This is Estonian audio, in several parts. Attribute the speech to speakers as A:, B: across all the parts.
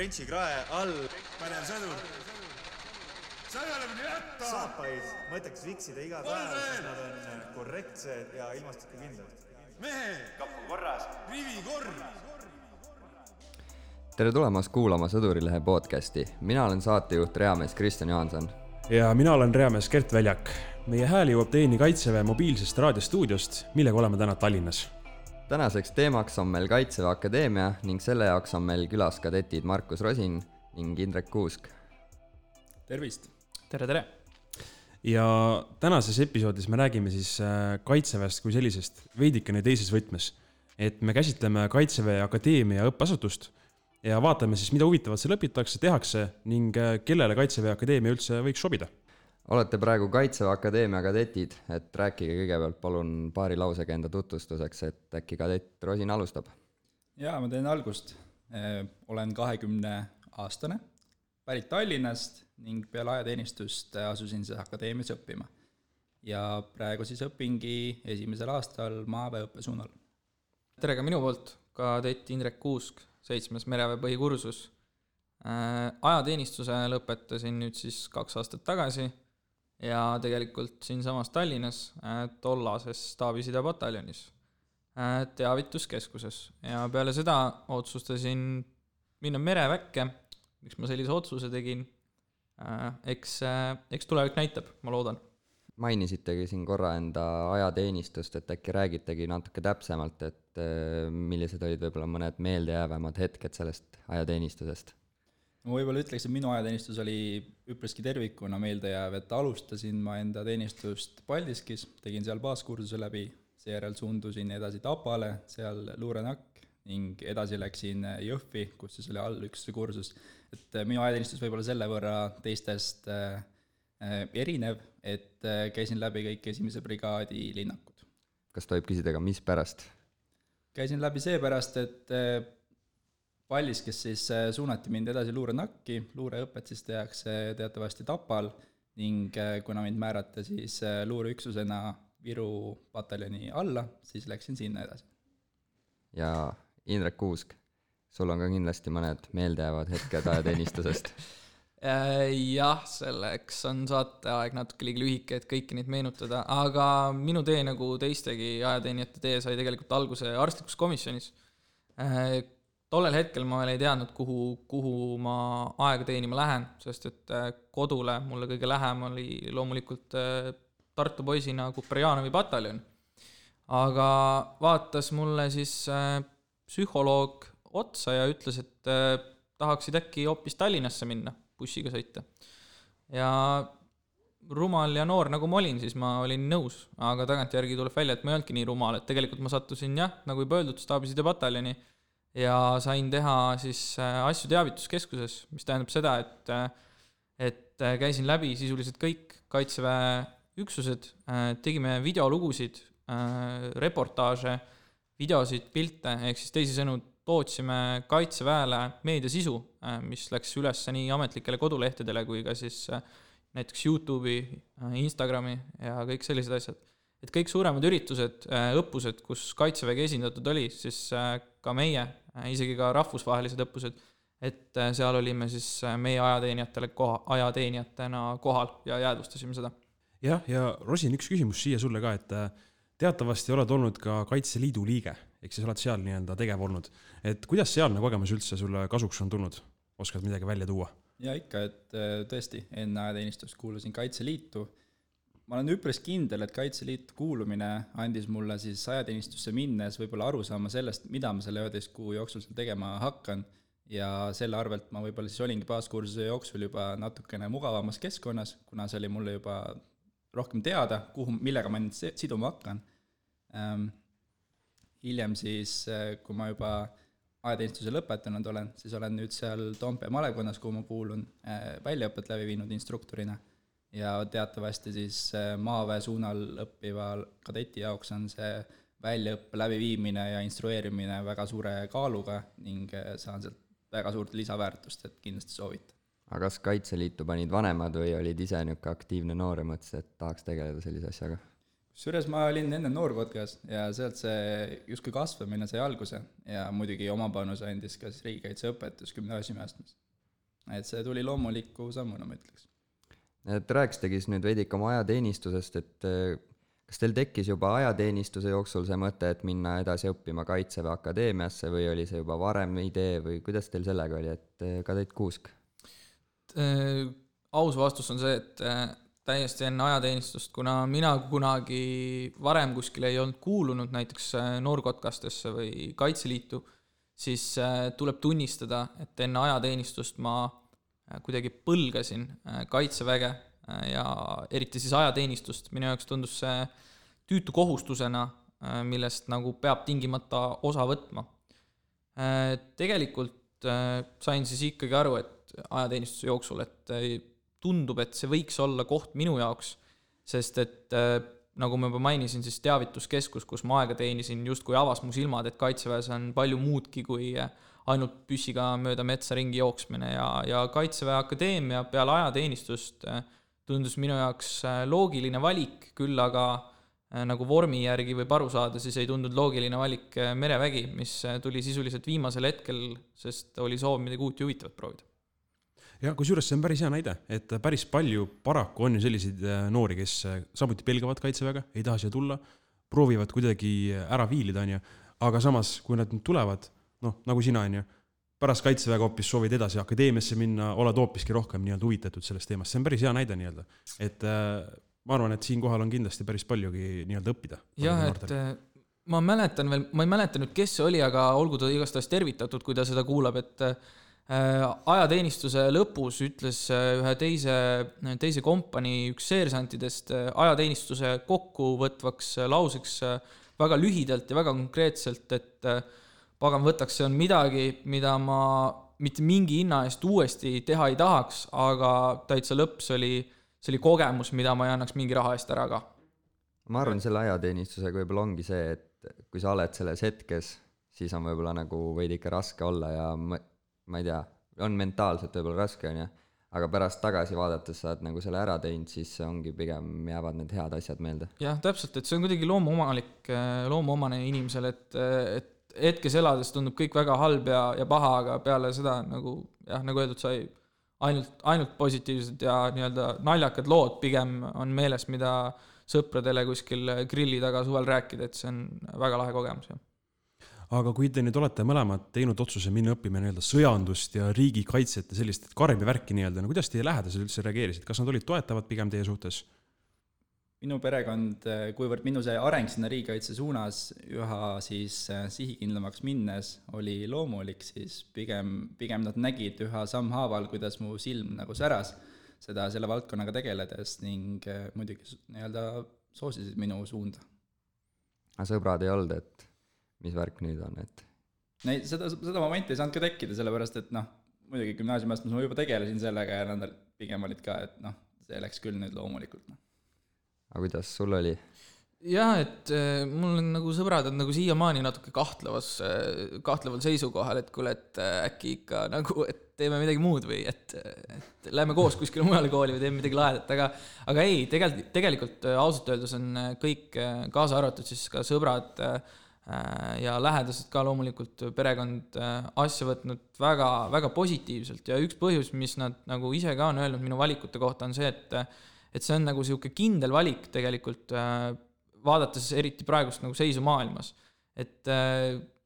A: Trenchi krae all.
B: Pänev sõdur. Sa ei ole minu jätta!
A: Saapaid mõtleks viksida iga päev, sest nad on korrektsed ja ilmastikukindlad.
B: Mehe!
A: Kapu korras.
B: Rivi korr!
C: Tere tulemast kuulama Sõdurilehe podcasti. Mina olen saatejuht reamees Kristjan Johanson.
D: Ja mina olen reamees Kert Väljak. Meie hääl jõuab teieni Kaitseväe mobiilsest raadiostuudiost, millega oleme täna Tallinnas.
C: Tänaseks teemaks on meil Kaitseväe Akadeemia ning selle jaoks on meil külas kadetid Markus Rosin ning Indrek Kuusk.
E: Tervist!
D: Tere! Ja tänases episoodis me räägime siis Kaitseväest kui sellisest veidikene teises võtmes. Et me käsitleme Kaitseväe Akadeemia õppeasutust ja vaatame siis, mida huvitavat seal õpitakse, tehakse ning kellele Kaitseväe Akadeemia üldse võiks sobida.
C: Olete praegu Kaitseväe Akadeemia kadetid, et rääkige kõigepealt palun paari lausega enda tutvustuseks, et äkki kadett Rosin alustab.
E: Jaa, ma teen algust. Olen 20-aastane, pärit Tallinnast ning peale ajateenistust asusin siis akadeemias õppima. Ja praegu siis õpingi esimesel aastal maaväeõppe suunal.
F: Tere ka minu poolt, kadett Indrek Kuusk, 7. mereväe põhikursus. Ajateenistuse lõpetasin nüüd siis 2 aastat tagasi ja tegelikult siin samas Tallinnas tollases staabiside pataljonis teavituskeskuses. Ja peale seda otsustasin minna mereväkke, miks ma sellise otsuse tegin. Eks tulevik näitab, ma loodan.
C: Mainisitegi siin korra enda ajateenistust, et äkki räägitegi natuke täpsemalt, et millised olid võib-olla mõned meeldejäävamad hetked sellest ajateenistusest?
E: Ma võib-olla ütleks, et minu ajateenistus oli üpriski tervikuna meeldejääv, et alustasin ma enda teenistust Paldiskis, tegin seal baaskursuse läbi, seejärel suundusin edasi Tapale, seal luurenakk ning edasi läksin Jõhvi, kus siis oli allüksuse kursus. Et minu ajateenistus võib-olla selle võrra teistest erinev, et käisin läbi kõik 1. brigaadi linnakud.
C: Kas tohib küsida ka, mis pärast?
E: Käisin läbi seepärast, et Paldiskis siis suunati mind edasi luurenakki, luureõpet siis tehakse teatavasti Tapal ning kuna mind määrati siis luureüksusena Viru pataljoni alla, siis läksin sinna edasi.
C: Ja Indrek Kuusk, sul on ka kindlasti mõned meeldejäävad hetked ajateenistusest.
F: Jah, selleks on saateaeg natuke liiga lühike, et kõiki neid meenutada, aga minu tee nagu teistegi ajateenijate tee sai tegelikult alguse arstlikus komisjonis. Tollel hetkel ma veel ei teadnud, kuhu ma aega teenima lähen, sest et kodule mulle kõige lähem oli loomulikult Tartu poisina Kuperjanovi pataljon. Aga vaatas mulle siis psühholoog otsa ja ütles, et tahaksid äkki hoopis Tallinnasse minna, bussiga sõita. Ja rumal ja noor nagu ma olin, siis ma olin nõus, aga tagantjärgi tuleb välja, et ma ei olnudki nii rumal, et tegelikult ma sattusin nagu juba öeldud staabiside pataljoni ja sain teha siis asju teavituskeskuses, mis tähendab seda, et käisin läbi sisuliselt kõik Kaitseväe üksused, tegime videolugusid, reportaaže, videosid, pilte, ehk siis teisisõnu tootsime Kaitseväele meediasisu, mis läks üles nii ametlikele kodulehtedele kui ka siis näiteks YouTube'i, Instagrami ja kõik sellised asjad. Et kõik suuremad üritused, õppused, kus Kaitsevägi esindatud oli, siis ka meie, isegi ka rahvusvahelised õppused, et seal olime siis meie ajateenijatena kohal ja jäädvustasime seda.
D: Ja Rosin, üks küsimus siia sulle ka, et teatavasti oled olnud ka Kaitseliidu liige, ehk siis oled seal nii-enda tegev olnud. Et kuidas sealne kogemus üldse sulle kasuks on tulnud? Oskad midagi välja tuua?
E: Ja ikka, et tõesti, enne ajateenistust kuulusin Kaitseliitu. Ma olen üpris kindel, et Kaitseliitu kuulumine andis mulle siis ajateenistusse minnes võib-olla aru saama sellest, mida ma selle 11 kuu jooksul tegema hakkan. Ja selle arvelt ma võib-olla siis olingi baaskursuse jooksul juba natukene mugavamas keskkonnas, kuna see oli mulle juba rohkem teada, millega ma nüüd siduma hakkan. Hiljem siis, kui ma juba ajateenistuse lõpetanud olen, siis olen nüüd seal Toompea malekonnas, kuhu ma kuulun väljaõpet läbi viinud instruktorina. Ja teatavasti siis maaväe suunal õppival kadeti jaoks on see väljaõppe läbiviimine ja instrueerimine väga suure kaaluga ning saan sealt väga suurt lisaväärtust, et kindlasti soovita.
C: Aga kas Kaitseliitu panid vanemad või olid ise niuke aktiivne noor ja mõtlesid, et tahaks tegeleda sellise asjaga?
E: Kusjuures ma olin enne noorpodcast ja sealt see justkui kasvamine sai alguse ja muidugi oma panuse andis ka siis riigikaitseõpetus gümnaasiumiastmes. Et see tuli loomuliku sammuna, ma ütleks.
C: Et rääkisitegi siis nüüd veidike oma ajateenistusest, et kas teil tekkis juba ajateenistuse jooksul see mõte, et minna edasi õppima Kaitseväe Akadeemiasse või oli see juba varem idee või kuidas teil sellega oli, et Kadett Kuusk?
F: Aus vastus on see, et täiesti enne ajateenistust, kuna mina kunagi varem kuskil ei olnud kuulunud näiteks noorkotkastesse või Kaitseliitu, siis tuleb tunnistada, et enne ajateenistust ma kuidagi põlgasin Kaitseväge ja eriti siis ajateenistust. Minu jaoks tundus see tüütu kohustusena, millest nagu peab tingimata osa võtma. Tegelikult sain siis ikkagi aru, et ajateenistuse jooksul, et tundub, et see võiks olla koht minu jaoks, sest et nagu ma juba mainisin, siis teavituskeskus, kus ma aega teenisin, justkui avas mu silmad, et Kaitseväes on palju muudki kui ainult püssiga mööda metsa ringi jooksmine ja Kaitseväe Akadeemia peale ajateenistust tundus minu jaoks loogiline valik, küll aga nagu vormi järgi võib aru saada, siis ei tundunud loogiline valik merevägi, mis tuli sisuliselt viimasel hetkel, sest oli soov midagi uut ja huvitavat proovida.
D: Ja kusjuures see on päris hea näide, et päris palju paraku on ju selliseid noori, kes samuti pelgavad Kaitseväega, ei taha siia tulla, proovivad kuidagi ära viilida, aga samas, kui nad tulevad, nagu sina, pärast Kaitseväega hoopis soovid edasi akadeemiasse minna, oled hoopiski rohkem huvitatud sellest teemast. See on päris hea näide et ma arvan, et siin kohal on kindlasti päris paljugi õppida.
F: Jah, et ma ei mäleta nüüd, kes see oli, aga olgu ta igastahes tervitatud, kui ta seda kuulab, et ajateenistuse lõpus ütles ühe teise kompanii üks seersantidest ajateenistuse kokkuvõtvaks lauseks väga lühidalt ja väga konkreetselt, et pagan võtaks, see on midagi, mida ma mitte mingi hinna eest uuesti teha ei tahaks, aga täitsa lõps oli kogemus, mida ma ei annaks mingi raha eest ära ka.
C: Ma arvan, selle ajateenistusega võib-olla ongi see, et kui sa oled selles hetkes, siis on võib-olla nagu veidi ikka raske olla ja ma ei tea, on mentaalselt võib-olla raske, aga pärast tagasi vaadates saad nagu selle ära teinud, siis ongi pigem jäävad need head asjad meelde.
F: Jah, täpselt, et see on kuidagi loomuomane inimesele, et hetkes elades tundub kõik väga halb ja paha, aga peale seda nagu öeldud, sai ainult positiivsed ja naljakad lood pigem on meeles, mida sõpradele kuskil grilli taga suvel rääkida, et see on väga lahe kogemus.
D: Aga kui te nüüd olete mõlemad teinud otsuse minna õppima sõjandust ja riigikaitset ja sellist karmi värki kuidas teie lähedased üldse reageerisid? Kas nad olid toetavad pigem teie suhtes?
E: Minu perekond, kuivõrd minu see areng sinna riigikaitse suunas üha siis sihikindlamaks minnes oli loomulik, siis pigem nad nägid üha sammhaaval, kuidas mu silm nagu säras selle valdkonnaga tegeledes ning muidugi soosisid minu suunda.
C: Aga sõbrad ei olnud, et mis värk nüüd on, et?
E: Seda momenti ei saanud ka tekkida, sellepärast, et muidugi gümnaasiumiastmes ma juba tegelesin sellega ja nad pigem olid ka, et see läks küll nüüd loomulikult.
C: Aga kuidas sul oli?
F: Jah, et mul on nagu sõbrad on nagu siiamaani natuke kahtleval seisukohal, et kuule, et äkki ikka nagu, et teeme midagi muud või et lähme koos kuskile mujale kooli või teeme midagi lahedat, aga ei, tegelikult ausalt öeldes on kõik kaasa arvatud siis ka sõbrad ja lähedased ka loomulikult perekond asja võtnud väga, väga positiivselt ja üks põhjus, mis nad nagu ise ka on öelnud minu valikute kohta on see, et see on nagu siuke kindel valik tegelikult vaadates eriti praegust nagu seisu maailmas, et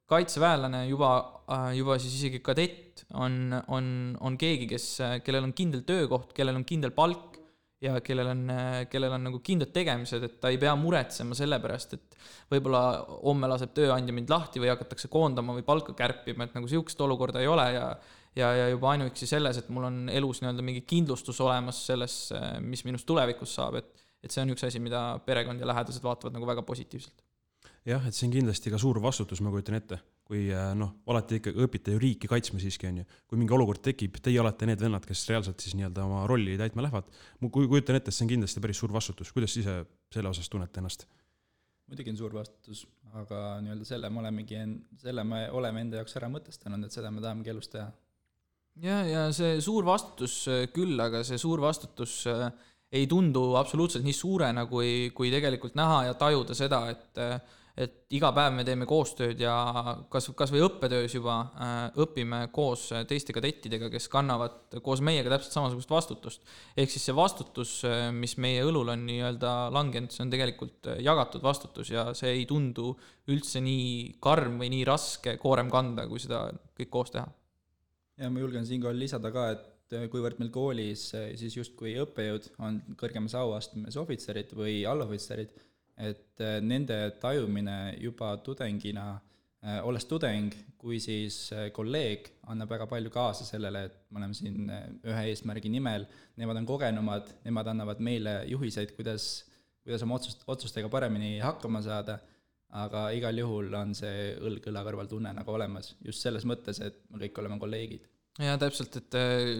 F: kaitseväelane juba siis isegi kadett on keegi, kellel on kindel töökoht, kellel on kindel palk ja kellel on nagu kindlad tegemised, et ta ei pea muretsema selle pärast, et võib-olla homme laseb tööandja mind lahti või hakatakse koondama või palka kärpima, et nagu siukest olukorda ei ole ja juba ainuüksi selles, et mul on elus mingi kindlustus olemas selles, mis minust tulevikus saab, et see on üks asi, mida perekond ja lähedased vaatavad nagu väga positiivselt.
D: Jah, et see on kindlasti ka suur vastutus, ma kujutan ette, kui olete ikka õpite ju riiki kaitsma siiski on ju. Kui mingi olukord tekib, teie olete need vennad, kes reaalselt siis oma rolli täitma lähevad. Kui kujutan ette, see on kindlasti päris suur vastutus. Kuidas ise selle osas tunnete ennast?
E: Muidugi on suur vastutus, aga selle me oleme enda jaoks ära mõtestanud, et seda me tahamegi elus teha.
F: Ja see suur vastutus küll, aga see suur vastutus ei tundu absoluutselt nii suurena, kui tegelikult näha ja tajuda seda, et iga päev me teeme koostööd ja kas või õppetöös juba õpime koos teiste kadettidega, kes kannavad koos meiega täpselt samasugust vastutust. Ehk siis see vastutus, mis meie õlul on nii-öelda langenud, see on tegelikult jagatud vastutus ja see ei tundu üldse nii karm või nii raske koorem kanda, kui seda kõik koos teha.
E: Ja ma julgen siinkohal lisada ka, et kuivõrd meil koolis siis justkui õppejõud on kõrgemas auastmes ohvitserid või allohvitserid, et nende tajumine juba tudengina, olles tudeng, kui siis kolleeg annab väga palju kaasa sellele, et me oleme siin ühe eesmärgi nimel, nemad on kogenumad, nemad annavad meile juhiseid, kuidas oma otsustega paremini hakkama saada, aga igal juhul on see õlg õla kõrval tunne nagu olemas, just selles mõttes, et me kõik oleme kolleegid.
F: Ja täpselt, et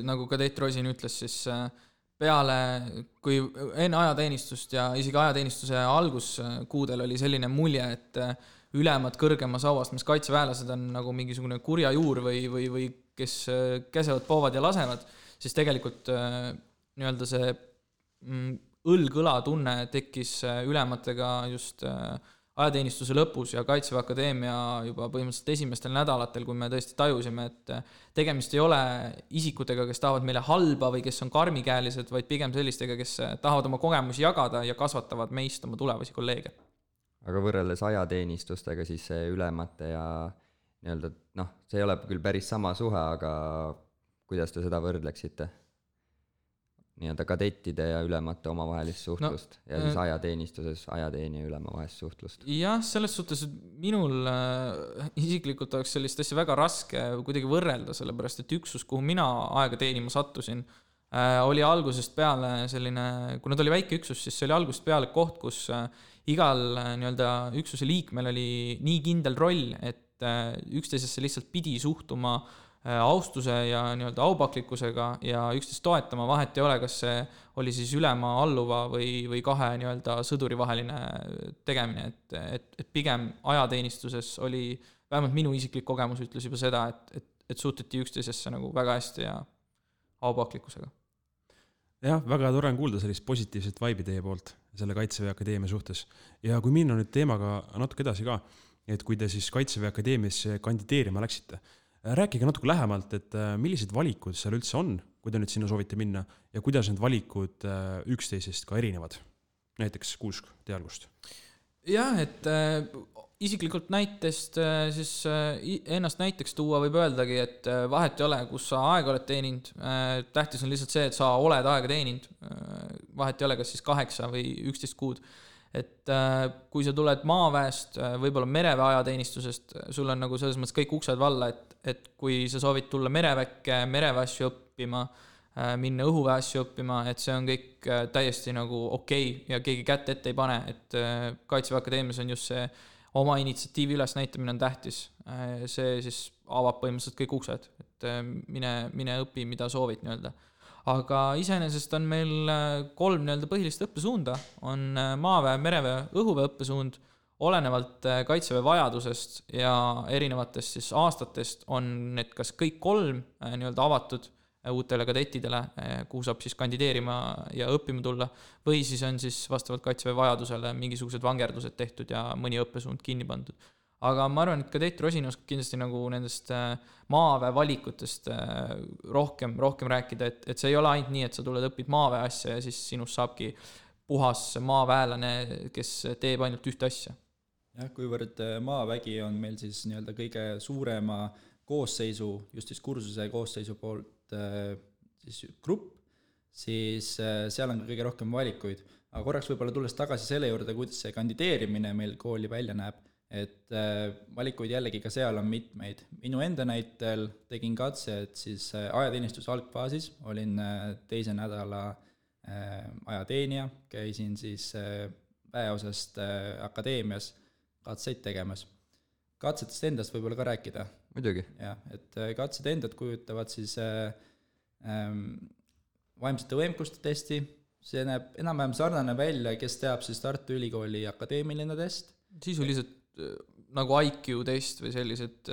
F: nagu kadett Rosin ütles, siis peale, kui enne ajateenistust ja isegi ajateenistuse alguskuudel oli selline mulje, et ülemad kõrgemas auastmes kaitseväelased on nagu mingisugune kurja juur või kes käsevad, poovad ja lasevad, siis tegelikult nii-öelda see õlg-õla tunne tekkis ülematega just ajateenistuse lõpus ja Kaitseväe Akadeemia juba põhimõtteliselt esimestel nädalatel, kui me tõesti tajusime, et tegemist ei ole isikutega, kes tahavad meile halba või kes on karmikäelised, vaid pigem sellistega, kes tahavad oma kogemusi jagada ja kasvatavad meist oma tulevasi kolleege.
C: Aga võrreldes ajateenistustega siis see ülemate ja nii-öelda, see ei ole küll päris sama suhe, aga kuidas te seda võrdleksite? Nii-öelda kadettide ja ülemate omavahelist suhtlust ja siis ajateenistuses ajateenija ülema vahelist suhtlust.
F: Jah, selles suhtes minul isiklikult oleks sellist asja väga raske kuidagi võrrelda, sellepärast et üksus, kuhu mina aega teenima sattusin, oli algusest peale selline, kui nad oli väike üksus, siis see oli algusest peale koht, kus igal nii-öelda üksuse liikmel oli nii kindel roll, et üksteisesse lihtsalt pidi suhtuma austuse ja nii-öelda aupaklikkusega ja üksteist toetama, vahet ei ole, kas see oli siis ülema, alluva või kahe nii-öelda sõduri vaheline tegemine, et pigem ajateenistuses oli, vähemalt minu isiklik kogemus ütles juba seda, et suhtuti üksteisesse nagu väga hästi ja aupaklikkusega.
D: Jah, väga tore on kuulda sellist positiivset vaibi teie poolt selle Kaitseväe Akadeemia suhtes. Ja kui minna nüüd teemaga natuke edasi ka, et kui te siis Kaitseväe Akadeemiasse kandideerima läksite, rääkige natuke lähemalt, et millised valikud seal üldse on, kui te nüüd sinna soovite minna ja kuidas need valikud üksteisest ka erinevad? Näiteks Kuusk, teie algust.
F: Jah, et isiklikult näitest siis ennast näiteks tuua võib öeldagi, et vahet ei ole, kus sa aega oled teeninud. Tähtis on lihtsalt see, et sa oled aega teeninud. Vahet ei ole, kas siis 8 või 11 kuud. Et kui sa tuled maaväest, võib-olla mereväe ajateenistusest, sul on nagu selles mõttes kõik uksed valla, et kui sa soovid tulla mereväkke, mereväessu õppima, minna õhuväessu õppima, et see on kõik täiesti nagu okei ja keegi kätt ette ei pane, et Kaitseväe Akadeemias on just see oma initsiatiivi üles näitamine on tähtis. See siis avab põhimõtteliselt kõik uksed, et mine õpi, mida soovid nii-öelda. Aga iseenesest on meil 3 nii-öelda põhilist õppesuunda, on maaväe, mereväe, õhuväe õppesuund, olenevalt Kaitseväe vajadusest ja erinevatest siis aastatest on need kas kõik 3 nii-öelda avatud uutele kadettidele, kuhu saab siis kandideerima ja õppima tulla, või siis on siis vastavalt Kaitseväe vajadusele mingisugused vangerdused tehtud ja mõni õppesuund kinni pandud. Aga ma arvan, et kadett Rosin oskab kindlasti nagu nendest maaväe valikutest rohkem rääkida, et see ei ole ainult nii, et sa tuled õpid maaväe asja ja siis sinust saabki puhas maaväelane, kes teeb ainult ühte asja.
E: Jah, kuivõrd maavägi on meil siis nii-öelda kõige suurema koosseisu, just siis kursuse koosseisu poolt siis grupp, siis seal on kõige rohkem valikuid. Aga korraks võib-olla tulles tagasi selle juurde, kuidas see kandideerimine meil kooli välja näeb, et valikuid jällegi ka seal on mitmeid. Minu enda näitel tegin katse, et siis ajateenistuse algfaasis olin 2. nädala ajateenija, käisin siis väeosast akadeemias katseid tegemas. Katsetest endast võib-olla ka rääkida.
C: Muidugi.
E: Ja, et katsed endad kujutavad siis vaimsete võimekuste testi, see näeb enam-vähem sarnane välja, kes teab siis Tartu Ülikooli akadeemiline test.
F: Sisuliselt nagu IQ test või sellised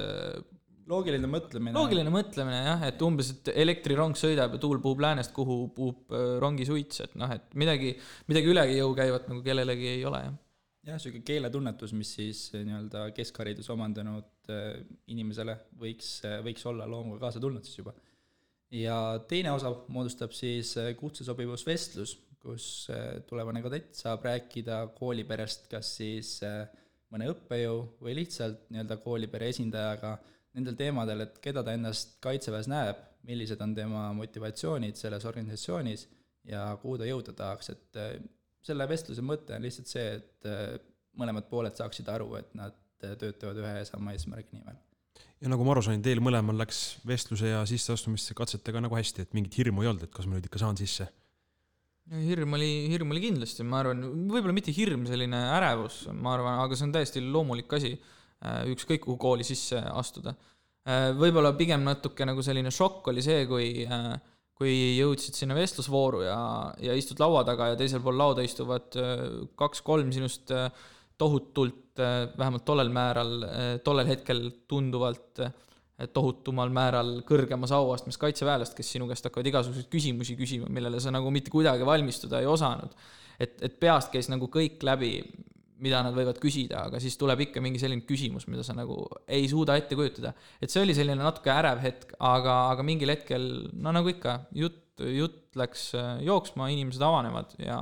E: loogiline mõtlemine.
F: Loogiline mõtlemine jah, et umbes, et elektrirong sõidab ja tuul puhub läänest, kuhu puhub rongi suits, et noh, et midagi ülegi jõu käivat nagu kellelegi ei ole jah.
E: Jah, selline keeletunnetus, mis siis nii-öelda keskharidus omandanud inimesele võiks olla loomuga kaasa tulnud siis juba. Ja teine osa moodustab siis kutsesobivusvestlus, kus tulevane kadett saab rääkida kooliperest kas siis mõne õppejõu või lihtsalt nii-öelda koolipere esindajaga nendel teemadel, et keda ta ennast kaitseväes näeb, millised on tema motivatsioonid selles organisatsioonis ja kuhu ta jõuda tahaks, et selle vestluse mõte on lihtsalt see, et mõlemad pooled saaksid aru, et nad töötavad ühe ja sama eesmärgi nimel.
D: Ja nagu ma aru sain, teil mõlemal läks vestluse ja sisseastumiste katsetega nagu hästi, et mingit hirmu ei olnud, et kas ma nüüd ikka saan sisse?
F: Hirm oli kindlasti, ma arvan, võib-olla mitte hirm, selline ärevus, ma arvan, aga see on täiesti loomulik asi, ükskõik kuhu kooli sisse astuda. Võib-olla pigem natuke nagu selline šokk oli see, kui jõudsid sinna vestlusvooru ja istud laua taga ja teisel pool lauda istuvad 2-3 sinust tohutult, vähemalt tollel hetkel tunduvalt tohutumal määral kõrgemas auastmes kaitseväelast, kes sinu käest hakkavad igasuguseid küsimusi küsima, millele sa nagu mitte kuidagi valmistuda ei osanud. Et peast käis nagu kõik läbi, mida nad võivad küsida, aga siis tuleb ikka mingi selline küsimus, mida sa nagu ei suuda ette kujutada. Et see oli selline natuke ärev hetk, aga mingil hetkel, no nagu ikka, jutt läks jooksma, inimesed avanevad ja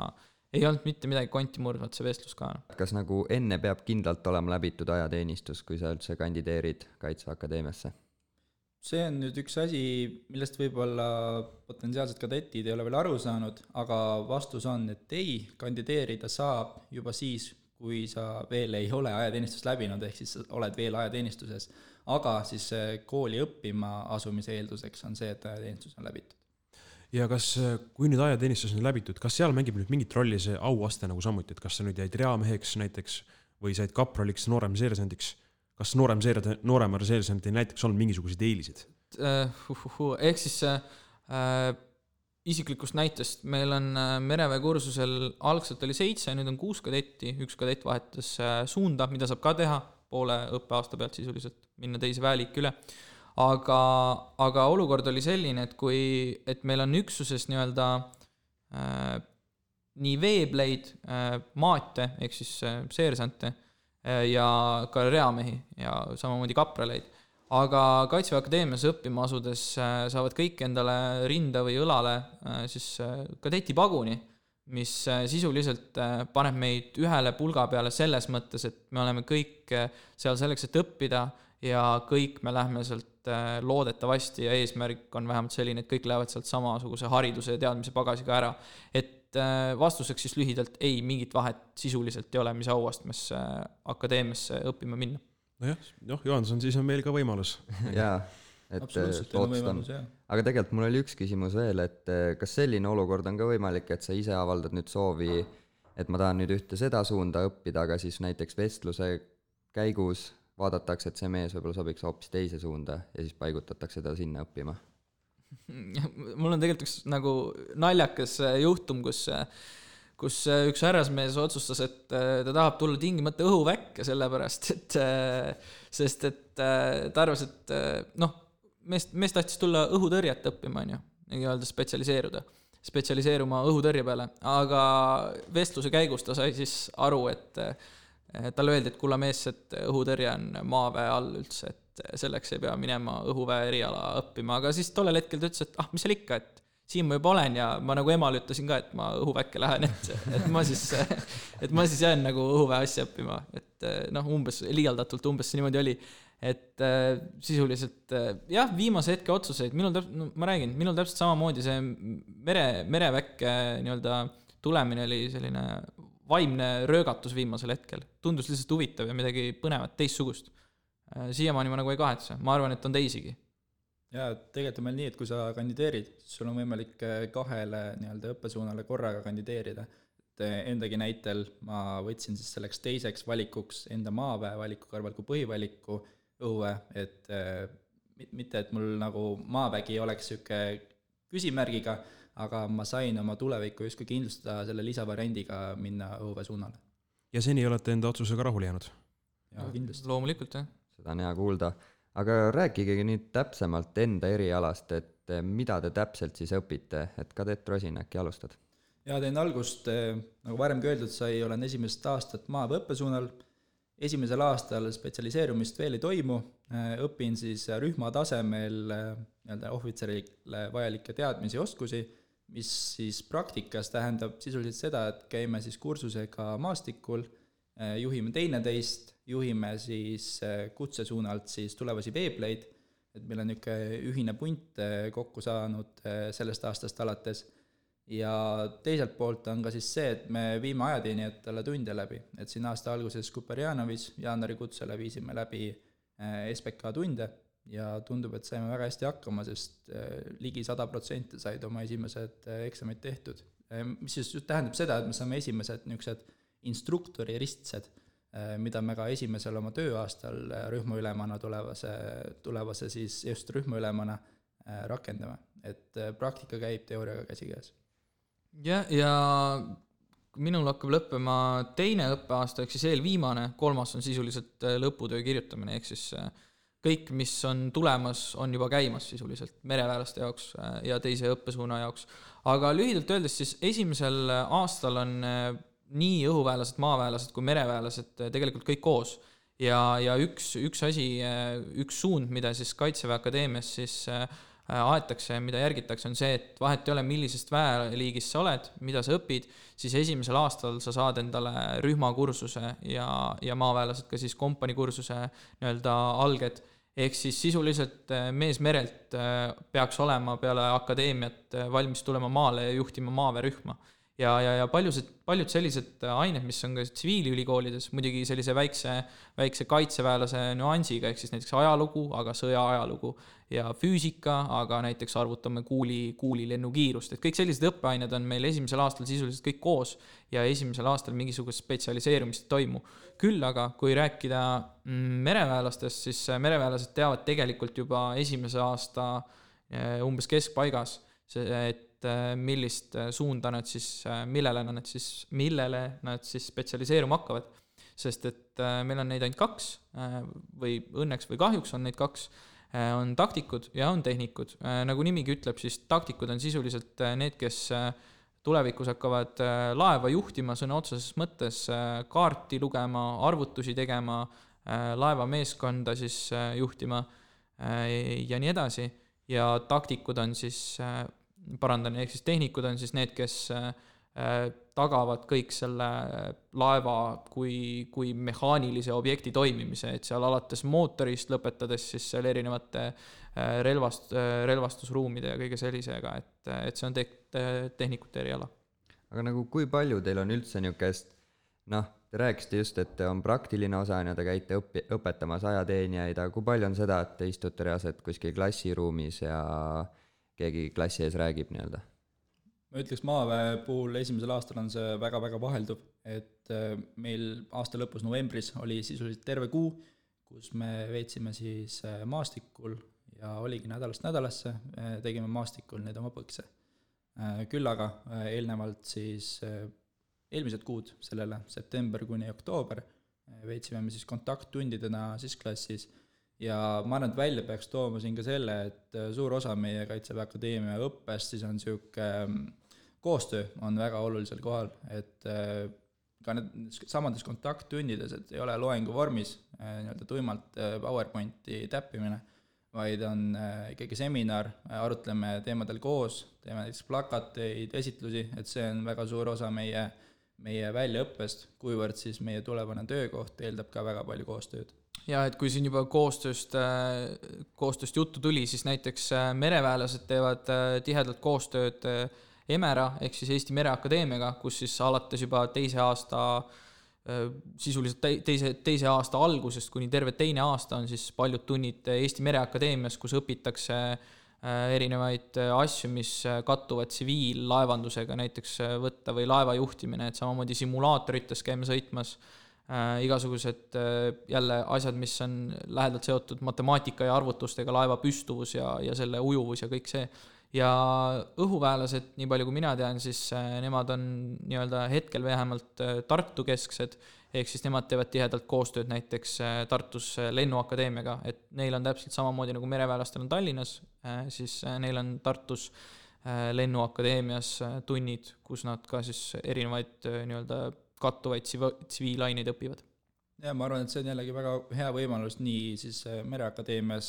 F: ei olnud mitte midagi konti murdvat see vestlus ka.
C: Kas nagu enne peab kindlalt olema läbitud ajateenistus, kui sa üldse kandideerid Kaitseväe Akadeemiasse?
E: See on nüüd üks asi, millest võib-olla potentsiaalsed kadetid ei ole veel aru saanud, aga vastus on, et ei, kandideerida saab juba siis, kui sa veel ei ole ajateenistust läbinud, ehk siis oled veel ajateenistuses, aga siis kooli õppima asumise eelduseks on see, et ajateenistus on läbitud.
D: Ja kas, kui nüüd ajateenistus on läbitud, kas seal mängib nüüd mingit rolli see auaste nagu samuti, et kas sa nüüd jäid reameheks näiteks või said kapraliks noorem seersandiks? Kas noorem seersandil näiteks on mingisuguseid eelisid?
F: Ehk siis isiklikust näitest meil on mereväe kursusel algselt oli 7, nüüd on 6 kadetti, üks kadett vahetas suunda, mida saab ka teha poole õppeaasta pealt sisuliselt, minna teise väeliik üle. Aga olukord oli selline, et meil on üksuses nii-öelda nii veebleid, maate, ehk siis seersante ja ka reamehi ja samamoodi kapraleid. Aga Kaitseväe Akadeemias õppima asudes saavad kõik endale rinda või õlale siis kadetipaguni, mis sisuliselt paneb meid ühele pulga peale selles mõttes, et me oleme kõik seal selleks, et õppida ja kõik me lähme sealt loodetavasti ja eesmärk on vähemalt selline, et kõik lähevad sealt samasuguse hariduse ja teadmise pagasiga ära. Et vastuseks siis lühidalt ei, mingit vahet sisuliselt ei ole, mis auastmesse akadeemiasse õppima minna.
D: Nojah, Johanson, siis on meil ka võimalus.
C: Jaa, et loodustan. Aga tegelikult mul oli üks küsimus veel, et kas selline olukord on ka võimalik, et sa ise avaldad nüüd soovi, et ma tahan nüüd ühte seda suunda õppida, aga siis näiteks vestluse käigus vaadatakse, et see mees võib-olla sobiks hoopis teise suunda ja siis paigutatakse ta sinna õppima.
F: Mul on tegelikult üks nagu naljakas juhtum, kus üks härrasmees otsustas, et ta tahab tulla tingimata õhuväkke sellepärast, sest ta arvas, et mees tahtis tulla õhutõrjet õppima, nii-öelda spetsialiseeruma õhutõrje peale, aga vestluse käigus ta sai siis aru, et talle öeldi, et kulla mees, et õhutõrje on maaväe all üldse, et selleks ei pea minema õhuväe eriala õppima, aga siis tollel hetkel ta ütles, et mis seal ikka, et siin ma juba olen ja ma nagu emale ütlesin ka, et ma õhuväkke lähen, et ma siis jään nagu õhuväe asja õppima, et umbes liialdatult umbes see niimoodi oli, et sisuliselt jah, viimase hetke otsuseid, minul täpselt samamoodi see mereväkke nii-öelda tulemine oli selline vaimne röögatus viimasel hetkel, tundus lihtsalt huvitav ja midagi põnevat, teistsugust. Siiamaani ma nagu ei kahetse, ma arvan, et on teisigi.
E: Ja tegelikult on meil nii, et kui sa kandideerid, siis sul on võimalik 2 nii-öelda õppesuunale korraga kandideerida. Endagi näitel ma võtsin siis selleks teiseks valikuks enda maaväe valiku kõrval kui põhivaliku õue, et mitte, et mul nagu maavägi oleks siuke küsimärgiga, aga ma sain oma tulevikku justkui kindlustada selle lisavariandiga minna õue suunale.
D: Ja seni olete enda otsusega rahule jäänud?
E: Ja kindlasti.
F: Loomulikult, jah.
C: Seda on hea kuulda. aga rääkige nüüd täpsemalt enda erialast, et mida te täpselt siis õpite, et Kadett Rosin, äkki alustad?
E: ja teen algust, nagu varemgi öeldud sai, olen esimest aastat maaväe õppesuunal. Esimesel aastal spetsialiseerumist veel ei toimu, õpin siis rühma tasemel ohvitserile vajalikke teadmisi ja oskusi, mis siis praktikas tähendab sisuliselt seda, et käime siis kursusega maastikul, juhime teineteist, juhime siis kutsesuunalt siis tulevasi veebleid, et meil on niisugune ühine punt kokku saanud sellest aastast alates. Ja teiselt poolt on ka siis see, et me viime ajateenijatele tunde läbi, et siin aasta alguses Kuperjanovis jaanuari kutsele viisime läbi SPK tunde ja tundub, et saime väga hästi hakkama, sest ligi 100% said oma esimesed eksamid tehtud. Mis siis tähendab seda, et me saame esimesed niisugused instruktori ristsed, mida me ka esimesel oma tööaastal rühmaülemana tulevase siis just rühmaülemana rakendame, et praktika käib teooriaga käsikäes.
F: Ja minul hakkab lõppema teine õppeaasta, ehk siis eelviimane, kolmas on sisuliselt lõputöö kirjutamine, ehk siis kõik, mis on tulemas, on juba käimas sisuliselt mereväelaste jaoks ja teise õppesuuna jaoks. Aga lühidalt öeldes siis esimesel aastal on nii õhuväelased, maaväelased kui mereväelased tegelikult kõik koos. Ja üks asi, üks suund, mida siis Kaitseväe Akadeemias siis aetakse, mida järgitakse, on see, et vahet ei ole, millisest väeliigist sa oled, mida sa õpid, siis esimesel aastal sa saad endale rühmakursuse ja maaväelased ka siis kompaniikursuse nii-öelda alged. Ehk siis sisuliselt mees merelt peaks olema peale akadeemiat valmis tulema maale ja juhtima maaväerühma. Ja paljud sellised ained, mis on ka tsiviilülikoolides, muidugi sellise väikse kaitseväelase nüansiga, ehk siis näiteks ajalugu, aga sõja ajalugu ja füüsika, aga näiteks arvutame kuuli lennukiirust, et kõik sellised õppeained on meil esimesel aastal sisuliselt kõik koos ja esimesel aastal mingisugust spetsialiseerumist ei toimu. Küll aga, kui rääkida mereväelastest, siis mereväelased teavad tegelikult juba esimese aasta umbes keskpaigas, et millist suunda nad siis, millele nad siis spetsialiseeruma hakkavad. Sest et meil on neid ainult 2 või õnneks või kahjuks on neid 2, on taktikud ja on tehnikud. Nagu nimigi ütleb, siis taktikud on sisuliselt need, kes tulevikus hakkavad laeva juhtima sõna otseses mõttes, kaarti lugema, arvutusi tegema, laeva meeskonda siis juhtima ja nii edasi. Ja taktikud on siis ehk siis tehnikud on siis need, kes tagavad kõik selle laeva kui mehaanilise objekti toimimise, et seal alates mootorist lõpetades siis seal erinevate relvastusruumide ja kõige sellisega, et see on tehnikute eriala.
C: Aga nagu kui palju teil on üldse niisugust, te rääkisite just, et on praktiline osa ja te käite õpetamas ajateenijaid, aga kui palju on seda, et te istute reaalselt kuskil klassiruumis ja keegi klassi ees räägib nii-öelda?
E: Ma ütleks maaväe puhul esimesel aastal on see väga-väga vahelduv, et meil aasta lõpus novembris oli sisuliselt terve kuu, kus me veetsime siis maastikul ja oligi nädalast nädalasse, tegime maastikul neid oma põkse. Küll aga eelnevalt siis eelmised kuud sellele, september kuni oktoober, veetsime me siis kontakttundidena siis klassis. Ja ma arvan, et välja peaks tooma siin ka selle, et suur osa meie Kaitseväe Akadeemia õppest siis on siuke koostöö on väga olulisel kohal, et ka need samades kontakttundides, et ei ole loengu vormis nii-öelda tuimalt PowerPointi täppimine, vaid on ikkagi seminar, arutleme teemadel koos, teeme näiteks plakateid, esitlusi, et see on väga suur osa meie väljaõppest, kuivõrd siis meie tulevane töökoht eeldab ka väga palju koostööd.
F: Ja et kui siin juba koostööst juttu tuli, siis näiteks mereväelased teevad tihedalt koostööd EMERA ehk siis Eesti Mereakadeemiaga, kus siis alates juba sisuliselt teise aasta algusest kuni terve teine aasta on siis paljud tunnid Eesti Mereakadeemias, kus õpitakse erinevaid asju, mis kattuvad tsiviillaevandusega näiteks võtta või laeva juhtimine, et samamoodi simulaatorites käime sõitmas, igasugused jälle asjad, mis on lähedalt seotud matemaatika ja arvutustega, laeva püstuvus ja selle ujuvus ja kõik see. Ja õhuväelased, nii palju kui mina tean, siis nemad on nii-öelda hetkel vähemalt Tartu kesksed ehk siis nemad teevad tihedalt koostööd näiteks Tartus Lennuakadeemiaga, et neil on täpselt samamoodi nagu mereväelastel on Tallinnas, siis neil on Tartus Lennuakadeemias tunnid, kus nad ka siis erinevaid nii-öelda kattuvaid tsiviilaineid õpivad.
E: Ja ma arvan, et see on jällegi väga hea võimalus nii siis Mereakadeemias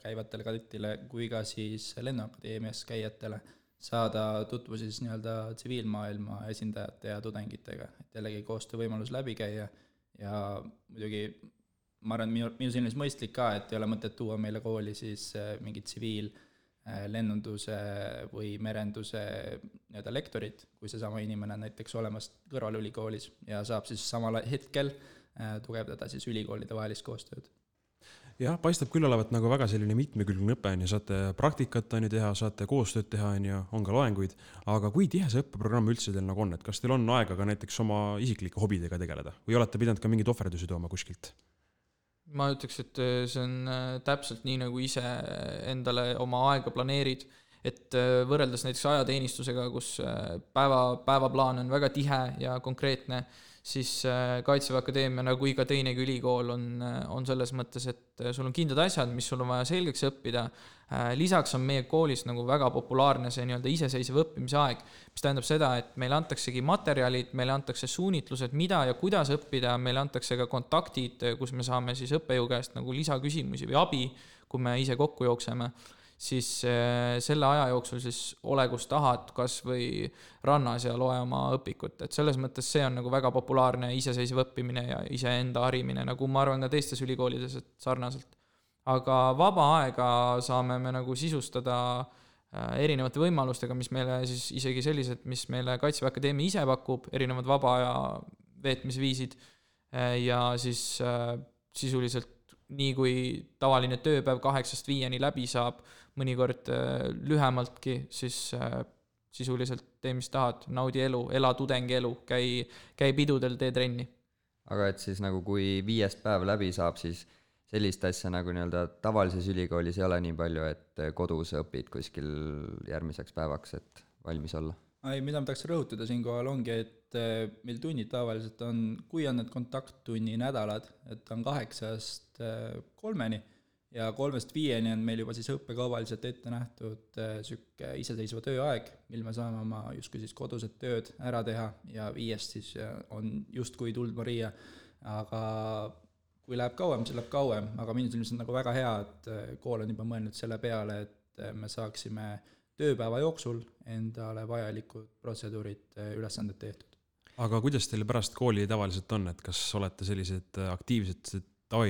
E: käivatele kadettile kui ka siis Lennuakadeemias käijatele saada tutvu siis nii-öelda tsiviilmaailma esindajate ja tudengitega, et jällegi koostöövõimalus läbi käia ja muidugi ma arvan, minu silmis mõistlik ka, et ei ole mõtet tuua meile kooli siis mingi tsiviillennunduse või merenduse nii-öelda lektorit, kui seesama inimene on näiteks olemas kõrvalülikoolis ja saab siis samal hetkel tugevdada siis ülikoolide vahelist koostööd.
D: Jah, paistab küll olevat nagu väga selline mitmekülgne õpe, saate praktikat teha, saate koostööd teha, on ka loenguid, aga kui tihe see õppeprogramm üldse teil nagu on, et kas teil on aega ka näiteks oma isiklike hobidega tegeleda või olete pidanud ka mingid ohverdusi tooma kuskilt?
F: Ma ütleks, et see on täpselt nii, nagu ise endale oma aega planeerid, et võrreldes näiteks ajateenistusega, kus päevaplaan on väga tihe ja konkreetne, siis Kaitseväe Akadeemia nagu iga teinegi ülikool on selles mõttes, et sul on kindlad asjad, mis sul on vaja selgeks õppida. Lisaks on meie koolis nagu väga populaarne see nii-öelda iseseisev õppimise aeg, mis tähendab seda, et meile antaksegi materjalid, meile antakse suunitlused, mida ja kuidas õppida, meile antakse ka kontaktid, kus me saame siis õppejõu käest nagu lisaküsimusi või abi, kui me ise kokku jookseme. Siis selle aja jooksul siis ole, kus tahad, kas või rannas ja loe oma õpikut. Et selles mõttes see on nagu väga populaarne iseseisev õppimine ja iseenda harimine, nagu ma arvan ka teistes ülikoolides sarnaselt. Aga vaba aega saame me nagu sisustada erinevate võimalustega, mis meile siis isegi sellised, mis meile Kaitseväe Akadeemia ise pakub, erinevad vaba aja veetmisviisid ja siis sisuliselt nii kui tavaline tööpäev 8-5 läbi saab, mõnikord lühemaltki, siis sisuliselt tee, mis tahad, naudi elu, ela tudengi elu, käi pidudel, tee trenni.
C: Aga et siis nagu kui 5 päev läbi saab, siis sellist asja nagu nii-öelda tavalises ülikoolis ei ole nii palju, et kodus õpid kuskil järgmiseks päevaks, et valmis olla?
E: Mida ma tahaks rõhutada siinkohal ongi, et meil tunnid tavaliselt on, kui on need kontakttunni nädalad, et on 8-3 ja 3-5 on meil juba siis õppekauvaliselt ette nähtud sükke iseseisva tööaeg, mil me saame oma justkui siis kodused tööd ära teha ja 5 siis on justkui tuld Maria, aga kui läheb kauem, siis läheb kauem, aga minu silmis on nagu väga hea, et kool on juba mõelnud selle peale, et me saaksime tööpäeva jooksul endale vajalikud protseduurid ülesanded tehtud.
D: Aga kuidas teil pärast kooli tavaliselt on, et kas olete sellised aktiivsed, et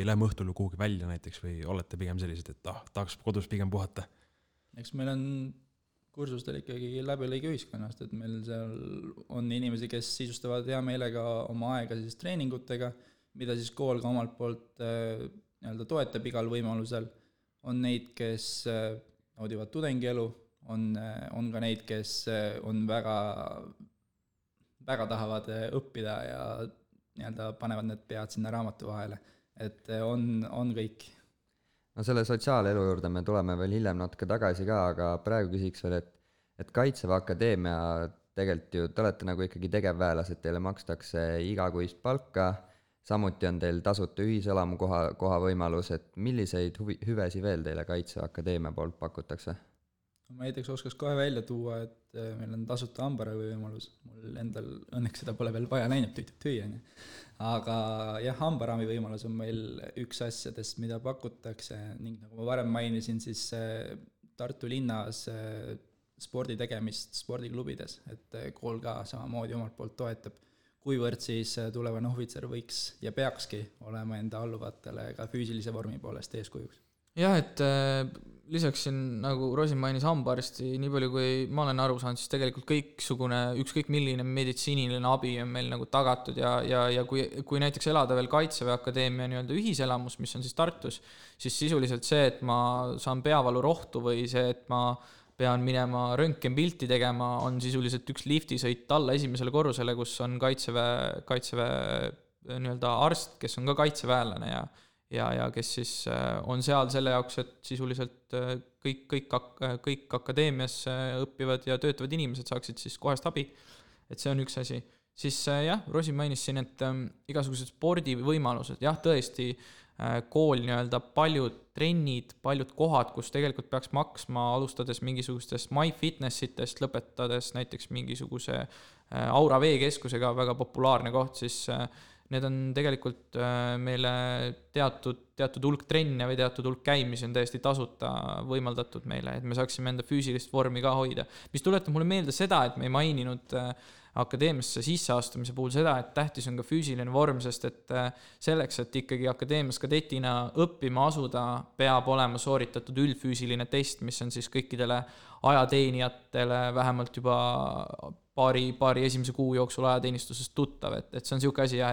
D: lähme õhtul kuhugi välja näiteks või olete pigem sellised, et tahaks kodus pigem puhata?
E: Eks meil on kursustel ikkagi läbilõige ühiskonnast, et meil seal on inimesi, kes sisustavad hea meelega oma aega siis treeningutega, mida siis kool ka omalt poolt nii-öelda toetab igal võimalusel. On neid, kes naudivad tudengielu, on ka neid, kes on väga tahavad õppida ja nii-öelda panevad need pead sinna raamatu vahele, et on kõik.
C: No selle sotsiaalelu juurde me tuleme veel hiljem natuke tagasi ka, aga praegu küsiks veel, et Kaitseväe Akadeemia tegelikult ju, te olete nagu ikkagi tegevväelased, teile makstakse igakuist palka, samuti on teil tasuta ühiselamu koha võimalus, et milliseid hüvesi veel teile Kaitseväe Akadeemia poolt pakutakse?
E: Ma näiteks oskaks kohe välja tuua, et meil on tasuta hambaravi võimalus. Mul endal õnneks seda pole veel vaja läinud tüüani. Aga jah, hambaravi võimalus on meil üks asjadest, mida pakutakse ning nagu ma varem mainisin, siis Tartu linnas spordi tegemist spordiklubides, et kool ka samamoodi omalt poolt toetab, kuivõrd siis tulevane ohvitser võiks ja peakski olema enda alluvatele ka füüsilise vormi poolest eeskujuks.
F: Jah, et lisaks siin, nagu Rosin mainis hambaarsti, nii palju kui ma olen aru saanud, siis tegelikult ükskõik milline meditsiiniline abi on meil nagu tagatud ja kui näiteks elada veel Kaitseväe Akadeemia nii-öelda ühiselamus, mis on siis Tartus, siis sisuliselt see, et ma saan peavalurohtu või see, et ma pean minema röntgenpilti tegema, on sisuliselt üks liftisõit alla esimesele korrusele, kus on Kaitseväe nii-öelda arst, kes on ka kaitseväelane ja kes siis on seal selle jaoks, et sisuliselt kõik akadeemias õppivad ja töötavad inimesed saaksid siis kohest abi. Et see on üks asi. siis jah, Rosin mainis siin, et igasugused spordivõimalused, jah, tõesti kool nii-öelda paljud trennid, paljud kohad, kus tegelikult peaks maksma, alustades mingisugustest MyFitnessitest, lõpetades näiteks mingisuguse Aura veekeskusega, väga populaarne koht, siis need on tegelikult meile teatud hulk trenne või teatud hulk käimisi on täiesti tasuta võimaldatud meile, et me saaksime enda füüsilist vormi ka hoida. Mis tuletab mulle meelde seda, et me ei maininud akadeemiasse sisseastumise puhul seda, et tähtis on ka füüsiline vorm, sest et selleks, et ikkagi akadeemias kadetina õppima asuda, peab olema sooritatud üldfüüsiline test, mis on siis kõikidele ajateenijatele vähemalt juba paari esimese kuu jooksul ajateenistusest tuttav, et see on siuke asi jah,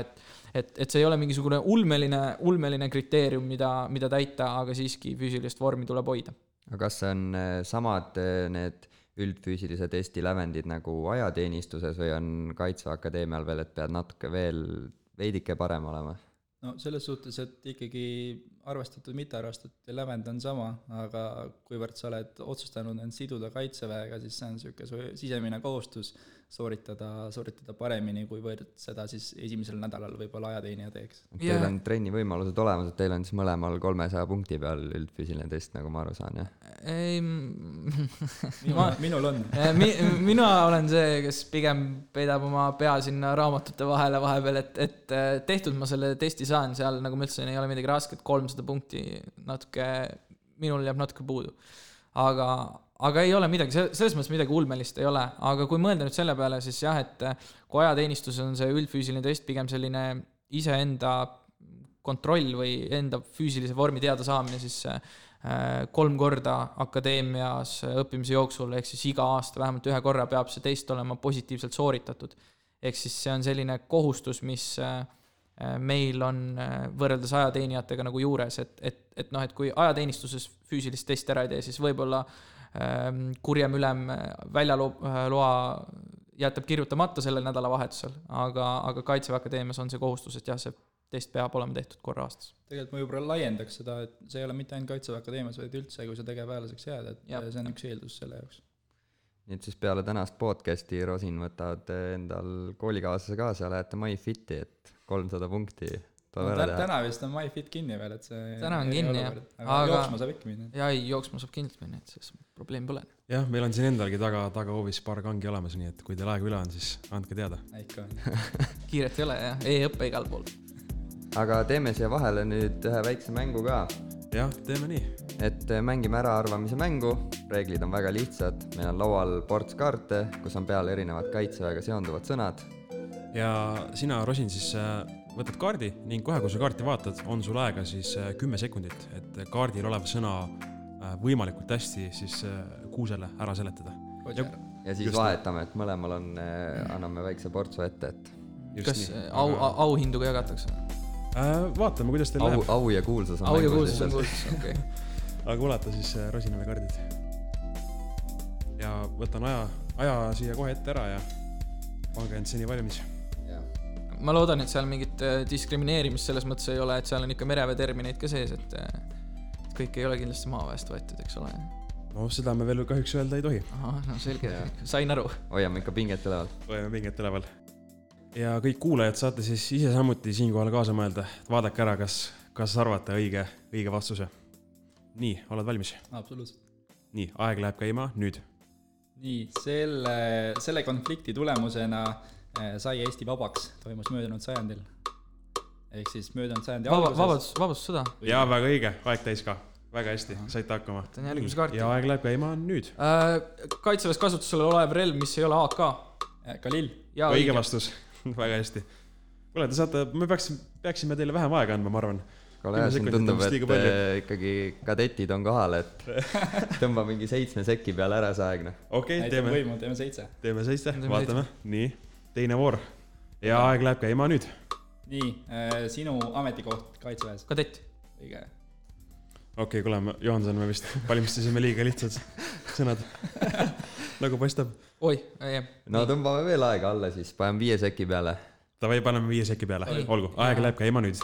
F: et see ei ole mingisugune ulmeline kriteerium, mida täita, aga siiski füüsilist vormi tuleb hoida.
C: Aga kas see on samad need üldfüüsilise testi lävendid nagu ajateenistuses või on Kaitseväe Akadeemial veel, et pead natuke veel veidike parem olema?
E: No selles suhtes, et ikkagi arvestatud, mitte arvestatud lävend on sama, aga kuivõrd sa oled otsustanud end siduda Kaitseväega, siis see on niisugune sisemine kohustus sooritada paremini, kuivõrd seda siis esimesel nädalal võib-olla ajateenija teeks.
C: Teil on trenni võimalused olemas, et teil on siis mõlemal 300 punkti peal üldfüüsiline test, nagu ma aru saan, jah?
F: Ei,
E: minul on.
F: Mina olen see, kes pigem peidab oma pea sinna raamatute vahele vahepeal, et tehtud ma selle testi saan, seal nagu ma ütlesin, ei ole midagi rasket, 300 punkti minul jääb natuke puudu. Aga ei ole midagi, selles mõttes midagi ulmelist ei ole, aga kui mõelda nüüd selle peale, siis jah, et kui ajateenistus on see üldfüüsiline test pigem selline iseenda kontroll või enda füüsilise vormi teada saamine, siis 3 korda akadeemias õppimise jooksul, ehk siis iga aasta vähemalt 1 korra peab see test olema positiivselt sooritatud. Ehk siis see on selline kohustus, mis meil on võrreldes ajateenijatega nagu juures, et kui ajateenistuses füüsilist testi ära ei tee, siis võib-olla kurjem ülem väljaloa jätab kirjutamata sellel nädalavahetusel, aga Kaitseväe Akadeemias on see kohustus, et jah, see test peab olema tehtud korra aastas.
E: Tegelikult ma juba laiendaks seda, et see ei ole mitte ainult Kaitseväe Akadeemias, vaid üldse, kui sa tegevväelaseks jääd, et see on üks eeldus selle jaoks.
C: Nii et siis peale tänast podcasti Rosin võtad endal koolikaaslase kaasa ja lähete MyFiti, et 300 punkti
E: täna vist on MyFit kinni veel, et see
F: täna on kinni, jah.
E: Aga jooksma saab ikka minna.
F: Ja ei, jooksma saab kindlasti minna, et selles probleem pole.
D: Jah, meil on siin endalgi taga hoovis paar kangi olemas, nii et kui teil aega üle on, siis andke teada.
E: Ikka.
F: Kiiret ei ole, jah. E-õppe igal pool.
C: Aga teeme siia vahele nüüd ühe väikse mängu ka.
D: Jah, teeme nii.
C: Et mängime ära arvamise mängu, reeglid on väga lihtsad, meil on laual ports kaarte, kus on peal erinevad Kaitseväega seonduvad sõnad.
D: Ja sina, Rosin, siis võtad kaardi ning kohe, kui sa kaarti vaatad, on sul aega siis 10 sekundit, et kaardil olev sõna võimalikult hästi siis Kuusele ära seletada.
C: Ja siis vahetame, et mõlemal on, anname väikse portsu ette, et...
F: Kas auhindu ka jagatakse?
D: Vaatame, kuidas teil läheb.
C: Au ja kuulsus on
F: mängus. Au ja kuulsus on kuulsus, okei.
D: Aga ulata siis Rosinale kaardid. Ja võtan aja siia kohe ette ära ja pange end seni valmis.
F: Ma loodan, et seal mingit diskrimineerimist selles mõttes ei ole, et seal on ikka merevee termineid ka sees, et kõik ei ole kindlasti maaväest võetud, eks ole.
D: No seda me veel kahjuks öelda ei tohi.
F: Aha, no selge, sain aru.
C: Hoiame ikka pinget üleval.
D: Hoiame pinget üleval. Ja kõik kuulajad saate siis ise samuti siinkohal kaasa mõelda. Vaadake ära, kas arvate õige vastuse. Nii, oled valmis?
E: Absoluutselt.
D: Nii, aeg läheb käima nüüd.
E: Nii, selle konflikti tulemusena sai Eesti vabaks, toimus möödunud sajandil. Ehk siis möödunud sajandi alguses.
F: Vabadussõda.
D: Jaa, väga õige, aeg täis ka. Väga hästi, saite hakkama. Ja aeg läheb käima nüüd.
F: Kaitseväes kasutusele olev relv, mis ei ole AK.
E: Kalil.
D: Õige vastus, väga hästi. Kuule, te saate, me peaksime teile vähem aega andma, ma arvan.
C: Kole, siin tundub, et ikkagi kadetid on kohal, et tõmba mingi 7 sekki peale ära see aeg.
D: Okei,
E: teeme 7.
D: Teeme 7, vaatame. Nii, teine voor. Ja aeg läheb käima nüüd.
E: Nii, sinu ametikoht Kaitseväes.
F: Kadett.
E: Õige.
D: Okei, kuule, Johanson, me vist valmistasime liiga lihtsad sõnad. Nagu paistab.
F: Oi,
C: no tõmbame veel aega alla siis, paneme 5 sekki peale.
D: Tavai, paneme 5 sekki peale. Olgu, aeg läheb käima nüüd.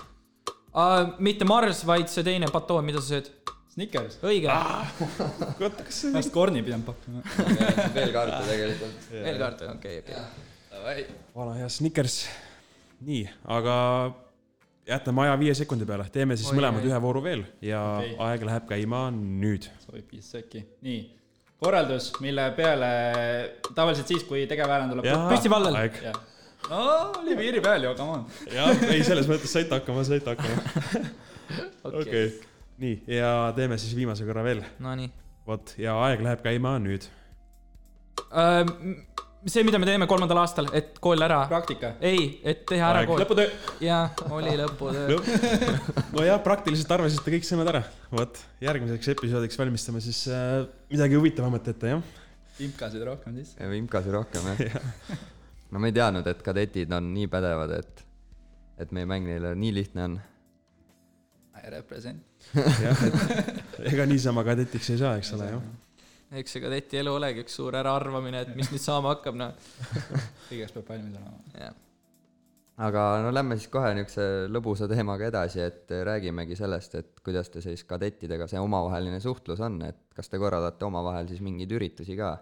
F: Mitte Mars, vaid see teine patoon, mida sa sööd?
E: Snickers.
F: Õige.
E: Vast korni pidanud pakkuma.
C: Veel kaarte tegelikult.
F: Veel kaarte, okei.
D: vana hea Snickers. Nii, aga jätame aja 5 sekundi peale. Teeme siis mõlemad ühe vooru veel ja aeg läheb käima nüüd.
E: Sobib 5 sekki. Nii, korraldus, mille peale tavaliselt siis, kui tegevväelane tuleb
F: püsti vallel.
E: No, oli piiri peal ju, come on.
D: Jah, ei, selles mõttes saite hakkama. Okei. Nii, ja teeme siis viimase korra veel.
F: No nii.
D: Vot, ja aeg läheb käima nüüd.
F: See, mida me teeme 3. aastal, et kool ära...
E: Praktika.
F: Ei, et teha ära kool.
E: Lõputöö.
F: Jaa, oli lõputöö.
D: No jah, praktiliselt arvasite kõik sõnad ära. Vot, järgmiseks episoodiks valmistame siis midagi huvitavamat ette, jah?
E: Imkasid rohkem siis.
C: Imkasid rohkem, jah. No me ei teadnud, et kadetid on nii pädevad, et meie mäng neile nii lihtne on.
E: I represent.
D: Jah, et ega niisama kadetiks ei saa, eks ole, jah.
F: Eks see kadeti elu olegi üks suur äraarvamine, et mis nüüd saama hakkab, no.
E: Kõigest peab valmis olema.
F: Jah.
C: Aga no lähme siis kohe niukse lõbusa teemaga edasi, et räägimegi sellest, et kuidas te siis kadettidega see omavaheline suhtlus on, et kas te korraldate omavahel siis mingeid üritusi ka?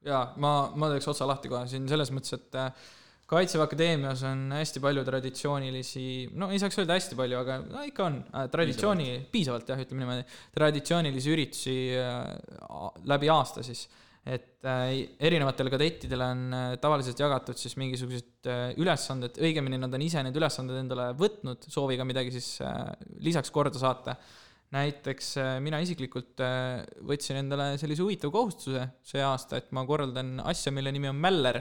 F: Jaa, ma teeks otsa lahti kohe siin selles mõttes, et Kaitseväe Akadeemias on hästi palju traditsioonilisi, no ei saaks öelda hästi palju, aga no ikka on piisavalt jah, ütleme niimoodi, traditsioonilisi üritusi läbi aasta siis. Et erinevatele kadettidele on tavaliselt jagatud siis mingisugused ülesanded, õigemini nad on ise need ülesanded endale võtnud, sooviga midagi siis lisaks korda saata. Näiteks mina isiklikult võtsin endale sellise huvitav kohustuse see aasta, et ma korraldan asja, mille nimi on Mäller.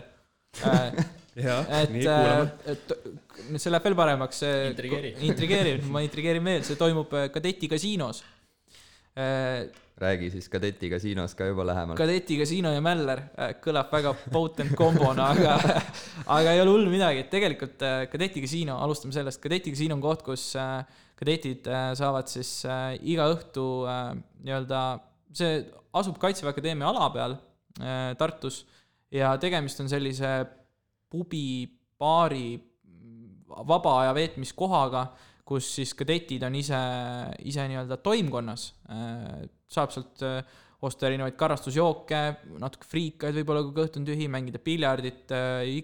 D: Nii kuulame.
F: See läheb veel paremaks. Ma intrigeerin veel, see toimub kadeti kasiinos.
C: Räägi siis kadeti kasiinos ka juba lähemalt.
F: Kadeti kasiino ja Mäller kõlab väga potent kombona, aga ei ole hullu midagi. Tegelikult kadeti kasiino, alustame sellest, kadeti kasiino on koht, kus kadetid saavad siis iga õhtu see asub Kaitseväe Akadeemia ala peal Tartus ja tegemist on sellise pubi, baari, vaba aja veetmiskohaga, kus siis kadetid on ise nii-öelda toimkonnas. Saab sealt osta erinevaid karastusjooke, natuke friikaid võib-olla, kui kõht on tühi, mängida piljardit,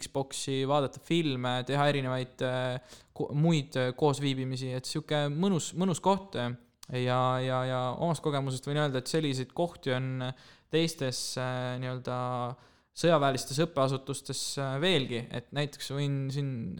F: Xboxi, vaadata filme, teha erinevaid muid koosviibimisi, et siuke mõnus koht ja omast kogemusest võin öelda, et selliseid kohti on teistes nii-öelda sõjaväelistes õppeasutustes veelgi, et näiteks võin siin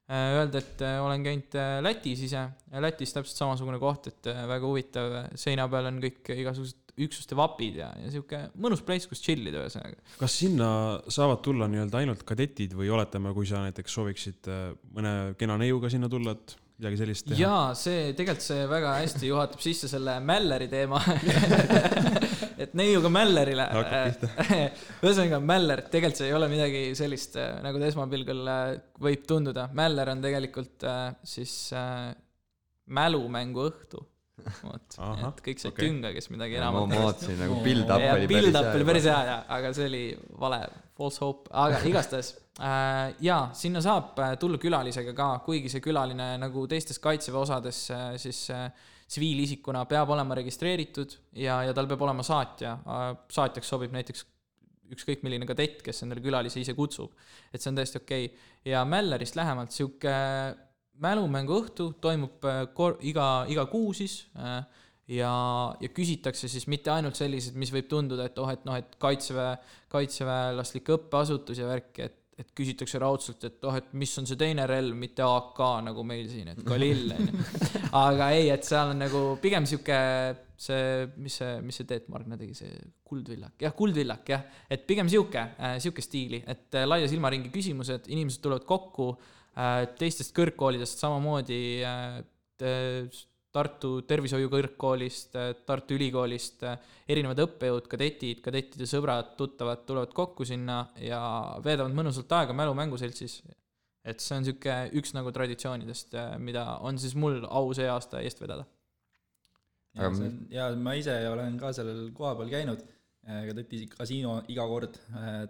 F: öelda, et olen käinud Lätis ise. Lätis täpselt samasugune koht, et väga huvitav, seina peal on kõik igasugused üksuste vapid ja siuke mõnus place, kus chillida ühesõnaga.
D: Kas sinna saavad tulla nii-öelda ainult kadetid või oletame, kui sa näiteks sooviksid mõne kena neiuga sinna tulla, et midagi sellist teha?
F: Jaa, tegelikult see väga hästi juhatab sisse selle Mälleri teema. Et neiuga Mällerile. Ühesõnaga Mäller, tegelikult see ei ole midagi sellist, nagu ta esmapilgul võib tunduda. Mäller on tegelikult siis mälumängu õhtu. Et kõik see tünga, kes midagi enam
C: ma vaatasin nagu build-up
F: oli päris hea, aga see oli vale, false hope, aga igastahes sinna saab tulla külalisega ka, kuigi see külaline nagu teistes Kaitseväe osades siis tsiviilisikuna peab olema registreeritud ja tal peab olema saatja. Saatjaks sobib näiteks ükskõik milline kadett, kes endale külalise ise kutsub, et see on täiesti okei. Ja Mällerist lähemalt siuke mälumängu õhtu toimub iga kuu siis ja küsitakse siis mitte ainult sellised, mis võib tunduda, et kaitseväelaslik õppeasutus ja värk, et küsitakse raudselt, et mis on see teine relv, mitte AK nagu meil siin, et Kalill. Aga ei, et seal on nagu pigem siuke mis see Teet Margna tegi, see kuldvillak, jah, et pigem siuke stiili, et laia silmaringi küsimused, inimesed tulevad kokku teistest kõrgkoolidest, samamoodi Tartu tervishoiu kõrgkoolist, Tartu ülikoolist, erinevad õppejõud, kadettide sõbrad, tuttavad tulevad kokku sinna ja veedavad mõnusalt aega mälumänguseltsis. Et see on siuke üks nagu traditsioonidest, mida on siis mul au see aasta eest vedada.
E: Ja ma ise olen ka sellel koha peal käinud, kadeti kasiino iga kord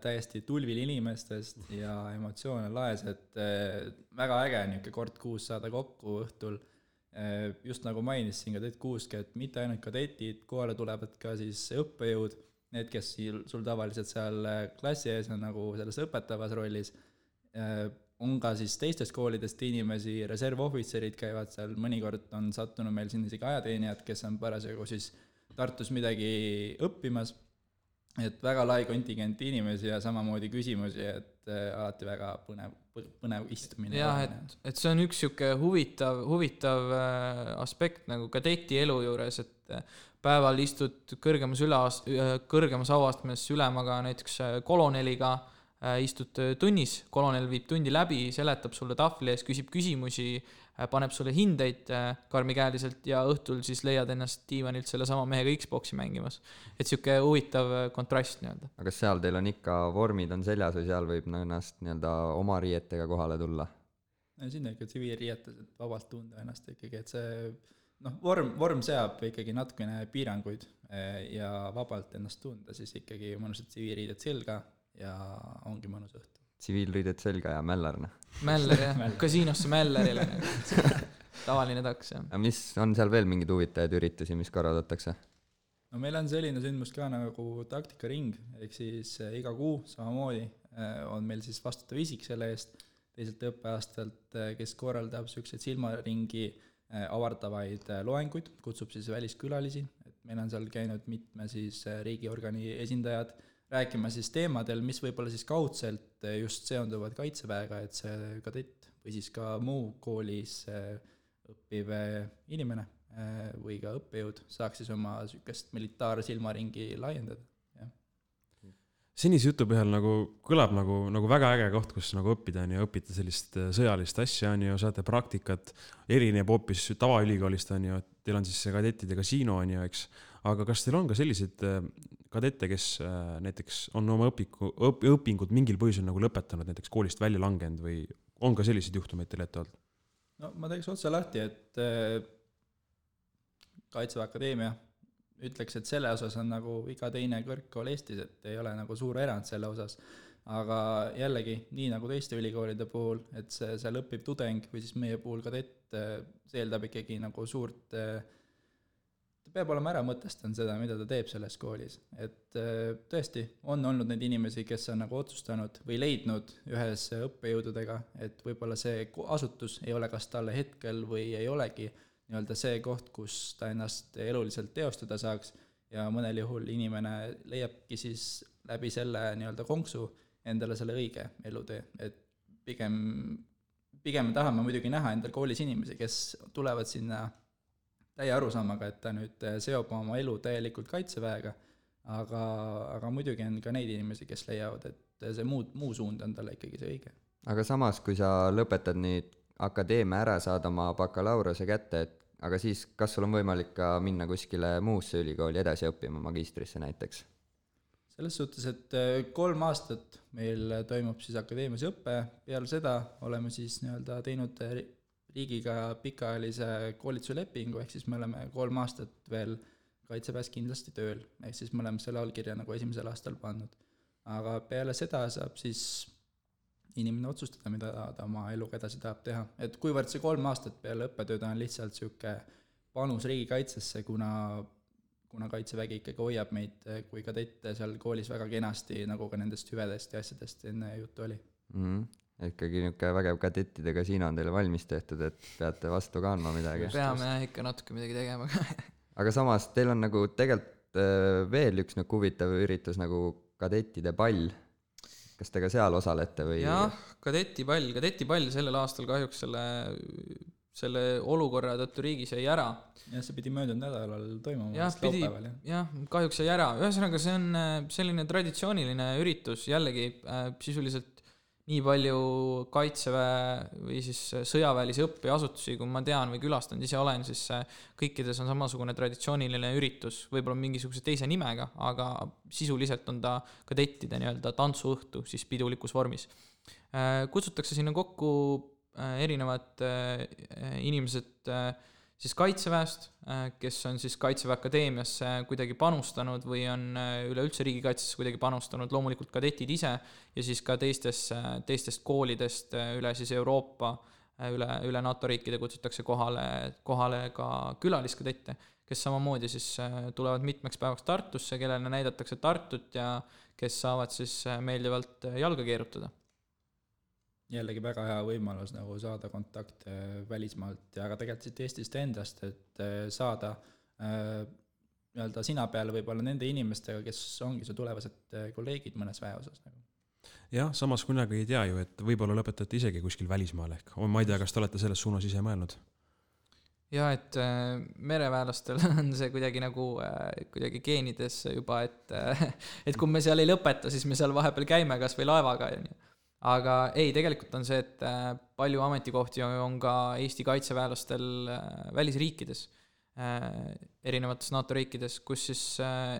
E: täiesti tulvil inimestest ja emotsioon on laes, et väga äge niuke kord kuus saada kokku õhtul. Just nagu mainisin kadet kuuski, et mitte ainult kadetid, kohale tulevad ka siis õppejõud, need, kes sul tavaliselt seal klassi ees on nagu selles õpetavas rollis On ka siis teistest koolidest inimesi, reservohvitserid käivad seal, mõnikord on sattunud meil siin isegi ajateenijad, kes on parasjagu siis Tartus midagi õppimas, et väga lai kontingent inimesi ja samamoodi küsimusi, et alati väga põnev istumine.
F: jah, et see on üks siuke huvitav aspekt nagu kadeti elu juures, et päeval istud kõrgemas auastmes ülemaga, näiteks koloneliga, istud tunnis, kolonel viib tundi läbi, seletab sulle tahvli ees, küsib küsimusi, paneb sulle hindeid karmikäeliselt ja õhtul siis leiad ennast diivanilt selle sama mehega Xboxi mängimas. Et siuke huvitav kontrast nii-öelda.
C: aga seal teil on ikka vormid on seljas või seal võib ennast nii-öelda oma riietega kohale tulla?
E: Sinna ikka tsiviilriietes, et vabalt tunda ennast ikkagi, et see vorm seab ikkagi natukene piiranguid ja vabalt ennast tunda, siis ikkagi mõnusad tsiviilriided selga ja ongi mõnus õhtu.
C: Tsiviilriided selga ja mällarna.
F: Mäller, jah. Kasiinosse Mällerile. Tavaline taks, jah.
C: Mis on seal veel mingid huvitajaid üritusi, mis korraldatakse?
E: No meil on selline sündmus ka nagu taktikaring, ehk siis iga kuu samamoodi on meil siis vastutav isik selle eest teiselt õppeaastalt, kes korraldab selliseid silmaringi avardavaid loenguid, kutsub siis väliskülalisi, et meil on seal käinud mitme siis riigiorgani esindajad rääkima siis teemadel, mis võib-olla siis kaudselt just seonduvad kaitseväega, et see kadett või siis ka muu koolis õppiv inimene või ka õppejõud saaks siis oma sükest militaarsilmaringi laiendada.
D: Senise jutu põhjal nagu kõlab nagu väga äge koht, kus nagu õppida on ja õpita sellist sõjalist asja on ju, saate praktikat, erineb hoopis tavaülikoolist on ju, et teil on siis kadettide kasiino on ju, eks, aga kas teil on ka sellised kadette, kes näiteks on oma õpingud mingil põhjusel nagu lõpetanud, näiteks koolist välja langenud või on ka selliseid juhtumeid teil ette olnud?
E: No ma teeks otse lahti, et Kaitseväe Akadeemia ütleks, et selle osas on nagu iga teine kõrgkool Eestis, et ei ole nagu suur erand selle osas. Aga jällegi, nii nagu teiste ülikoolide puhul, et see seal õpib tudeng või siis meie puhul kadett, see eeldab ikkagi nagu suurt, ta peab olema ära mõtestanud seda, mida ta teeb selles koolis. Et tõesti, on olnud neid inimesi, kes on nagu otsustanud või leidnud ühes õppejõududega, et võib-olla see asutus ei ole kas talle hetkel või ei olegi nii-öelda see koht, kus ta ennast eluliselt teostada saaks ja mõnel juhul inimene leiabki siis läbi selle nii-öelda konksu endale selle õige elutee. Et pigem me tahame muidugi näha endal koolis inimesi, kes tulevad sinna täie arusaamaga, et ta nüüd seob oma elu täielikult kaitseväega, aga muidugi on ka neid inimesi, kes leiavad, et see muu suund on talle ikkagi see õige.
C: Aga samas, kui sa lõpetad nüüd akadeemia ära, saad oma bakalaureuse kätte, et aga siis kas sul on võimalik ka minna kuskile muusse ülikooli edasi õppima magistrisse näiteks?
E: Selles suhtes, et 3 aastat meil toimub siis akadeemias õppe, peale seda oleme siis nii-öelda teinud riigiga pikaajalise koolituslepingu, ehk siis me oleme 3 aastat veel kaitseväes kindlasti tööl, ehk siis me oleme selle allkirja nagu esimesel aastal pannud. Aga peale seda saab siis inimene otsustada, mida ta oma eluga edasi tahab teha. Et kuivõrd see 3 aastat peale õppetööd on lihtsalt siuke panus riigikaitsesse, kuna kaitsevägi ikkagi hoiab meid kui kadette seal koolis väga kenasti, nagu ka nendest hüvedest ja asjadest enne juttu oli.
C: Ikkagi niisugune vägev kadettidega siin on teile valmis tehtud, et peate vastu kandma midagi.
F: Peame ikka natuke midagi tegema.
C: Aga samas teil on nagu tegelikult veel üks nagu huvitav üritus nagu kadettide pall. Kas te ka seal osalete või?
F: Jah, kadetipall sellel aastal kahjuks selle olukorra tõttu riigis jäi ära.
E: Ja see pidi möödunud nädalal toimuma.
F: Jah, kahjuks jäi ära. Ühesõnaga, see on selline traditsiooniline üritus, jällegi sisuliselt nii palju kaitseväe või siis sõjaväelisi õppeasutusi, kui ma tean või külastanud ise olen, siis kõikides on samasugune traditsiooniline üritus, võib-olla mingisuguse teise nimega, aga sisuliselt on ta kadettide nii-öelda tantsuõhtu siis pidulikus vormis. Kutsutakse sinna kokku erinevad inimesed siis kaitseväest, kes on siis Kaitseväe Akadeemiasse kuidagi panustanud või on üleüldse riigikaitsesse kuidagi panustanud, loomulikult kadetid ise ja siis ka teistest koolidest üle siis Euroopa, üle NATO riikide kutsutakse kohale ka külaliskadette, kes samamoodi siis tulevad mitmeks päevaks Tartusse, kellele näidatakse Tartut ja kes saavad siis meeldivalt jalga keerutada.
E: jällegi väga hea võimalus nagu saada kontakte välismaalt ja ka tegelikult siit Eestist endast, et saada nii-öelda sina peale võib-olla nende inimestega, kes ongi su tulevased kolleegid mõnes väeosas nagu.
D: jah, samas kunagi ei tea ju, et võib-olla lõpetate isegi kuskil välismaal ehk. Ma ei tea, kas te olete selles suunas ise mõelnud?
F: ja et mereväelastel on see kuidagi nagu kuidagi geenides juba, et kui me seal ei lõpeta, siis me seal vahepeal käime kas või laevaga. Aga ei, tegelikult on see, et palju ametikohti on ka Eesti kaitseväelastel välisriikides, erinevates NATO riikides, kus siis,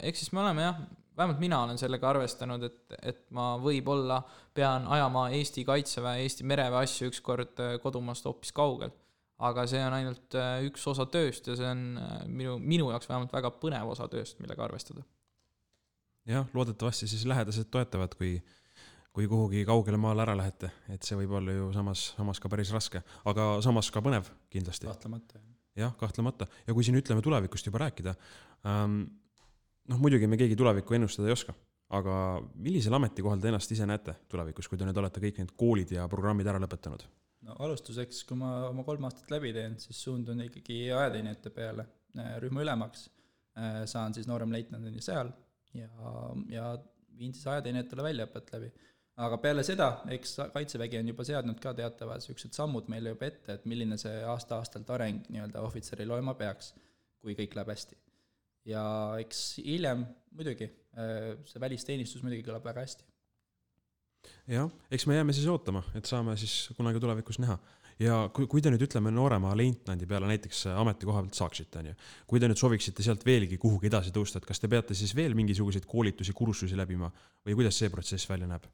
F: eks siis me oleme jah, vähemalt mina olen sellega arvestanud, et ma võib-olla pean ajama Eesti kaitseväe, Eesti mereväe asju ükskord kodumaast hoopis kaugel. Aga see on ainult üks osa tööst ja see on minu jaoks vähemalt väga põnev osa tööst, millega arvestada.
D: jah, loodetavasti siis lähedased toetavad, kui kuhugi kaugele maale ära lähete, et see võib olla ju samas ka päris raske, aga samas ka põnev kindlasti.
E: Kahtlemata.
D: jah, kahtlemata. Ja kui siin ütleme tulevikust juba rääkida, muidugi me keegi tulevikku ennustada ei oska, aga millisel ametikohal te ennast ise näete tulevikus, kui te nüüd olete kõik need koolid ja programmid ära lõpetanud?
E: No alustuseks, kui ma oma 3 aastat läbi teen, siis suundun ikkagi ajateenijate peale rühma ülemaks. Saan siis nooremleitnandini seal ja viin siis ajateenijatele väljaõpet läbi. Aga peale seda, eks Kaitsevägi on juba seadnud ka teatavad sellised sammud meile juba ette, et milline see aasta-aastalt areng nii-öelda ohvitseril olema peaks, kui kõik läheb hästi. Ja eks hiljem muidugi, see välisteenistus muidugi kõlab väga hästi.
D: jah, eks me jääme siis ootama, et saame siis kunagi tulevikus näha. Ja kui te nüüd ütleme noorema leitnandi peale näiteks ametikoha pealt saaksite, kui te nüüd sooviksite sealt veelgi kuhugi edasi tõusta, et kas te peate siis veel mingisuguseid koolitusi, kursusi läbima või kuidas see protsess välja näeb?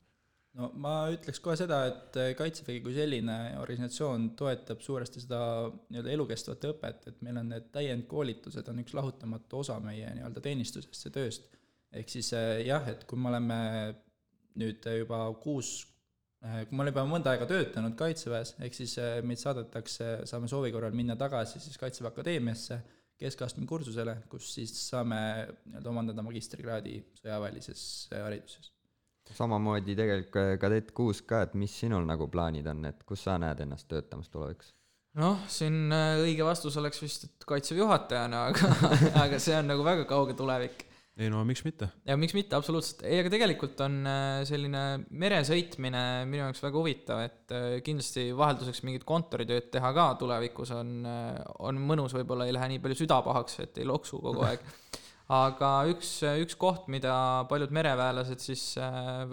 E: No ma ütleks kohe seda, et Kaitsevägi kui selline organisatsioon toetab suuresti seda nii-öelda elukestvat õpet, et meil on need täiendkoolitused on üks lahutamatu osa meie nii-öelda teenistusest ja tööst. Ehk siis jah, et kui me oleme nüüd juba kui ma olen juba mõnda aega töötanud Kaitseväes, ehk siis meid saadetakse, saame soovi korral minna tagasi siis Kaitseväe Akadeemiasse keskastme kursusele, kus siis saame omandada magistrikraadi sõjaväelises hariduses.
C: Samamoodi tegelikult kadett 6 ka, et mis sinul nagu plaanid on, et kus sa näed ennast töötamas tulevikus?
F: Siin õige vastus oleks vist, et Kaitseväe juhatajana, aga see on nagu väga kauge tulevik.
D: Ei no, miks mitte?
F: Ja miks mitte, absoluutselt. Ei, aga tegelikult on selline meresõitmine minu jaoks väga huvitav, et kindlasti vahelduseks mingit kontoritööd teha ka tulevikus on mõnus, võib-olla ei lähe nii palju südapahaks, et ei loksu kogu aeg. Aga üks koht, mida paljud mereväelased siis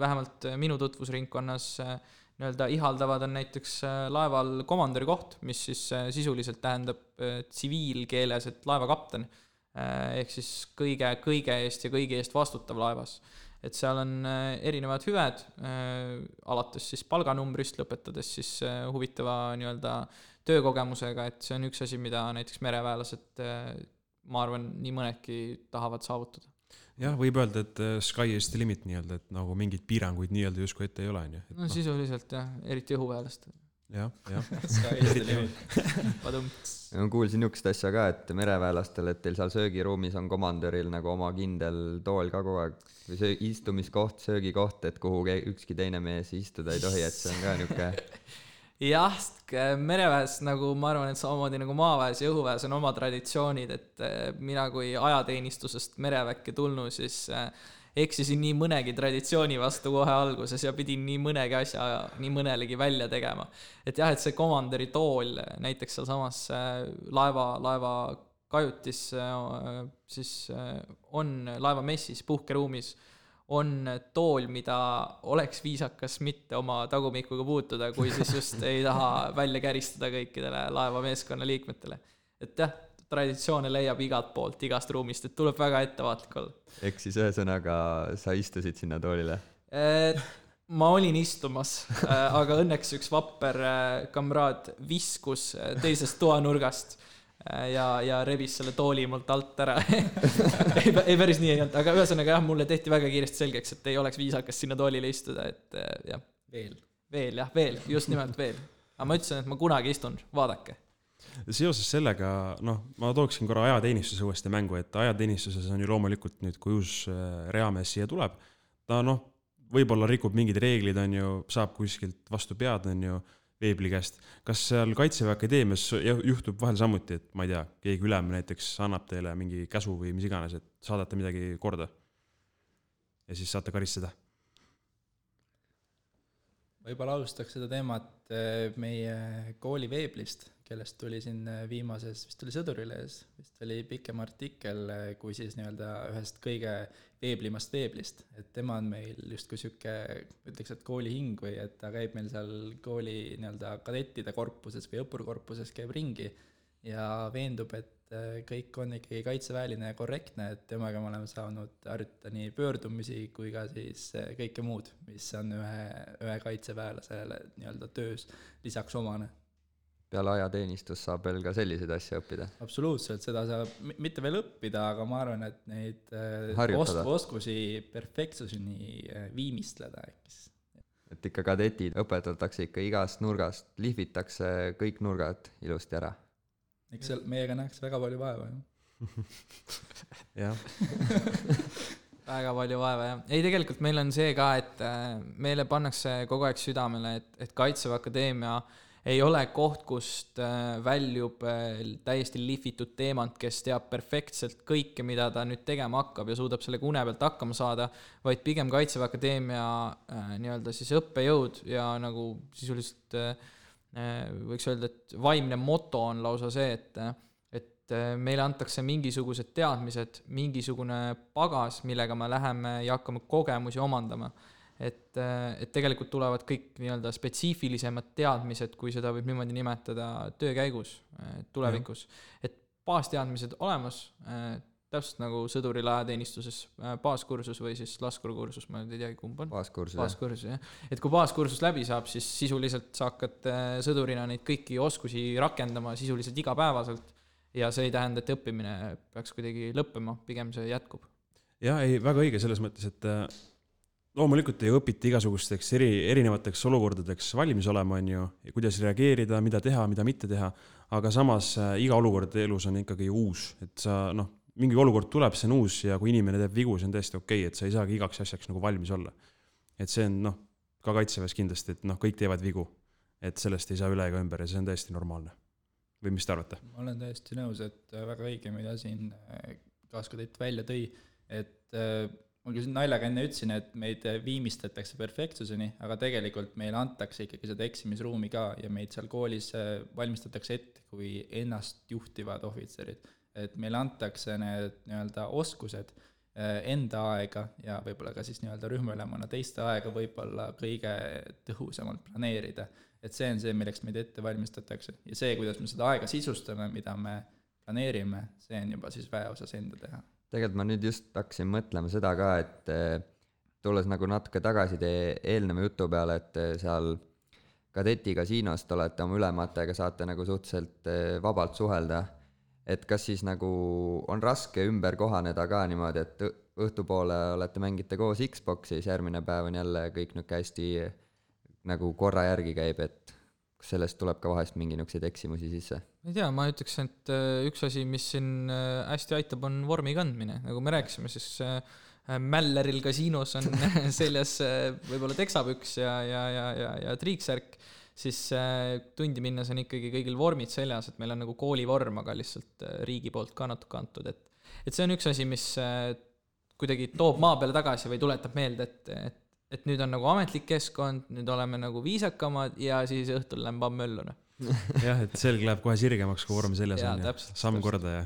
F: vähemalt minu tutvusringkonnas nii-öelda ihaldavad, on näiteks laeval komandöri koht, mis siis sisuliselt tähendab tsiviilkeeles, et laevakapten. Ehk siis kõige eest ja kõigi eest vastutav laevas. Et seal on erinevad hüved, alates siis palganumbrist, lõpetades siis huvitava nii-öelda töökogemusega, et see on üks asi, mida näiteks mereväelased, ma arvan, nii mõnedki tahavad saavutada.
D: jah, võib öelda, et sky is the limit nii-öelda, et nagu mingid piiranguid nii-öelda justkui ette ei ole.
F: No sisuliselt jah, eriti õhuväelast.
D: jah.
E: Sky is the limit.
C: Ma kuulsin niisugust asja ka, et mereväelastel, et teil seal söögiruumis on komandöril nagu oma kindel tool ka kogu aeg või istumiskoht, söögikoht, et kuhu ükski teine mees istuda ei tohi, et see on ka niisugune
F: jah, mereväes nagu ma arvan, et samamoodi nagu maaväes ja õhuväes on oma traditsioonid, et mina kui ajateenistusest mereväkke tulnu, siis eksisin nii mõnegi traditsiooni vastu kohe alguses ja pidin nii mõnegi asja nii mõnelegi välja tegema. Et jah, et see komandöri tool näiteks seal samas laeva kajutis siis on laeva messis, puhkeruumis on tool, mida oleks viisakas mitte oma tagumikuga puutuda, kui siis just ei taha välja käristada kõikidele laeva meeskonna liikmetele. Et jah, traditsioone leiab igalt poolt, igast ruumist, et tuleb väga ettevaatlik olla.
C: Ehk siis ühesõnaga sa istusid sinna toolile?
F: Ma olin istumas, aga õnneks üks vapper kamraad viskus teisest toanurgast ja rebis selle tooli mult alt ära. ei päris nii ei olnud, aga ühesõnaga jah, mulle tehti väga kiiresti selgeks, et ei oleks viisakas sinna toolile istuda, et jah. Veel, just nimelt veel. Aga ma ütlesin, et ma kunagi istun, vaadake.
D: Seoses sellega, ma tooksin korra ajateenistuse uuesti mängu, et ajateenistuses on ju loomulikult nüüd, kui uus reamees siia tuleb, ta võib-olla rikub mingid reeglid, on ju, saab kuskilt vastu pead, on ju, veebli käest. Kas seal Kaitseväe Akadeemias juhtub vahel samuti, et ma ei tea, keegi ülem näiteks annab teile mingi käsu või mis iganes, et saadate midagi korda ja siis saate karistada?
E: Võib-olla alustaks seda teemat meie kooli veeblist, kellest tuli siin viimases, vist oli Sõdurilehes, vist oli pikem artikkel, kui siis nii-öelda ühest kõige veeblimast veeblist, et tema on meil justkui sihuke, ütleks, et kooli hing või et ta käib meil seal kooli nii-öelda kadettide korpuses või õppurkorpuses käib ringi ja veendub, et kõik on ikkagi kaitseväeline ja korrektne, et temaga me oleme saanud harjutada nii pöördumisi kui ka siis kõike muud, mis on ühe kaitseväelasele nii-öelda töös lisaks omane.
C: Peale ajateenistus saab veel ka selliseid asju õppida.
E: Absoluutselt, seda saab mitte veel õppida, aga ma arvan, et neid oskusi perfektsuseni viimistleda äkki.
C: Et ikka kadetid õpetatakse ikka igast nurgast, lihvitakse kõik nurgad ilusti ära.
E: Eks seal meiega näeks väga palju vaeva,
D: jah.
F: Väga palju vaeva, jah. Ei, tegelikult meil on see ka, et meile pannakse kogu aeg südamele, et Kaitseväe Akadeemia ei ole koht, kust väljub täiesti lihvitud teemant, kes teab perfektselt kõike, mida ta nüüd tegema hakkab ja suudab selle une pealt hakkama saada, vaid pigem Kaitseväe Akadeemia nii-öelda siis õppejõud ja nagu sisuliselt võiks öelda, et vaimne moto on lausa see, et meile antakse mingisugused teadmised, mingisugune pagas, millega me läheme ja hakkame kogemusi omandama. Et tegelikult tulevad kõik nii-öelda spetsiifilisemad teadmised, kui seda võib niimoodi nimetada töö käigus tulevikus. Et baasteadmised olemas, täpselt nagu sõduril ajateenistuses baaskursus või siis laskurkursus, ma ei teagi kumb on. Baaskursus, jah. Et kui baaskursus läbi saab, siis sisuliselt sa hakkad sõdurina neid kõiki oskusi rakendama sisuliselt igapäevaselt ja see ei tähenda, et õppimine peaks kuidagi lõppema, pigem see jätkub.
D: Jah, ei, väga õige selles mõttes, et loomulikult ei õpita igasugusteks erinevateks olukordadeks valmis olema, on ju, ja kuidas reageerida, mida teha, mida mitte teha, aga samas iga olukord elus on ikkagi uus, et sa, mingi olukord tuleb, see on uus ja kui inimene teeb vigu, see on täiesti okei, et sa ei saagi igaks asjaks nagu valmis olla. Et see on, ka Kaitseväes kindlasti, et kõik teevad vigu, et sellest ei saa üle ega ümber ja see on täiesti normaalne. Või mis te arvate?
E: Ma olen täiesti nõus, et väga õige, mida siin kaaskadett välja tõi, et ma küll naljaga enne ütlesin, et meid viimistletakse perfektsuseni, aga tegelikult meile antakse ikkagi seda eksimisruumi ka ja meid seal koolis valmistatakse ette kui ennast juhtivad ohvitserid. Et meile antakse need nii-öelda oskused enda aega ja võib-olla ka siis nii-öelda rühmaülemana teiste aega võib-olla kõige tõhusamalt planeerida. Et see on see, milleks meid ette valmistatakse. Ja see, kuidas me seda aega sisustame, mida me planeerime, see on juba siis väeosas enda teha.
C: Tegelikult ma nüüd just hakkasin mõtlema seda ka, et tulles nagu natuke tagasi teie eelneva jutu peale, et seal kadeti kasiinost olete oma ülematega, saate nagu suhteliselt vabalt suhelda. Et kas siis nagu on raske ümber kohaneda ka niimoodi, et õhtupoole olete mängite koos Xboxis, järgmine päev on jälle kõik nüüd hästi nagu korra järgi käib, et sellest tuleb ka vahest mingi niukseid eksimusi sisse?
F: Ma ei tea, ma ütleks, et üks asi, mis siin hästi aitab, on vormi kandmine. Nagu me rääkisime, siis Mälleril kasiinos on seljas võib-olla teksapüks ja triiksärk, siis tundi minnes on ikkagi kõigil vormid seljas, et meil on nagu koolivorm, aga lihtsalt riigi poolt ka natuke antud. Et see on üks asi, mis kuidagi toob maa peale tagasi või tuletab meelde, et nüüd on nagu ametlik keskkond, nüüd oleme nagu viisakamad ja siis õhtul lämb möllune.
D: Jah, et selg läheb kohe sirgemaks, kui vorm seljas on. Samm korda ja.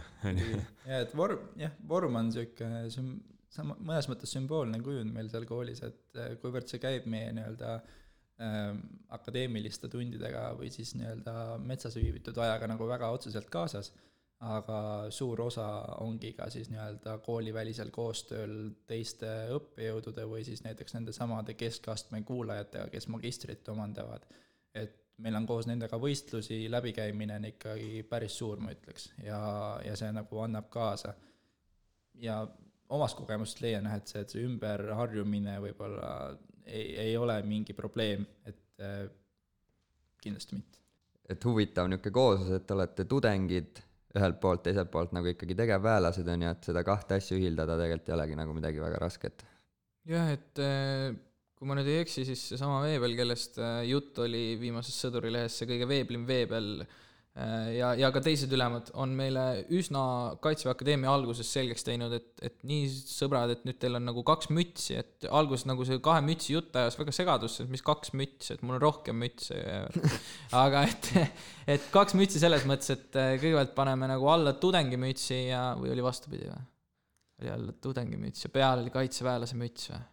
E: Ja, et vorm on siuke mõnes mõttes sümboolne kujund meil seal koolis, et kuivõrd see käib meie nii-öelda akadeemiliste tundidega või siis nii-öelda metsas viibitud ajaga nagu väga otseselt kaasas, aga suur osa ongi ka siis nii-öelda koolivälisel koostööl teiste õppejõudude või siis näiteks nende samade keskastme kuulajatega, kes magistrit omandavad. Et meil on koos nendega võistlusi, läbikäimine on ikkagi päris suur, ma ütleks, ja see nagu annab kaasa. Ja omast kogemust leian, et see ümberharjumine võib-olla ei ole mingi probleem, et kindlasti mitte.
C: Et huvitav niuke kooslus, et olete tudengid ühelt poolt, teiselt poolt nagu ikkagi tegevväelased on ja et seda kahte asju ühildada tegelikult ei olegi nagu midagi väga rasket.
F: Jah, et kui ma nüüd ei eksi, siis seesama Veebel, kellest jutt oli viimases Sõdurilehes, see kõige veeblim Veebel ja ka teised ülemad on meile üsna Kaitseväe Akadeemia alguses selgeks teinud, et nii sõbrad, et nüüd teil on nagu 2 mütsi, et alguses nagu see 2 mütsi jutt ajas väga segadusse, et mis 2 mütsi, et mul on rohkem mütsi. Aga et 2 mütsi selles mõttes, et kõigepealt paneme nagu alla tudengimütsi või oli vastupidi või? Oli alla tudengimütsi ja peal oli kaitseväelase müts või?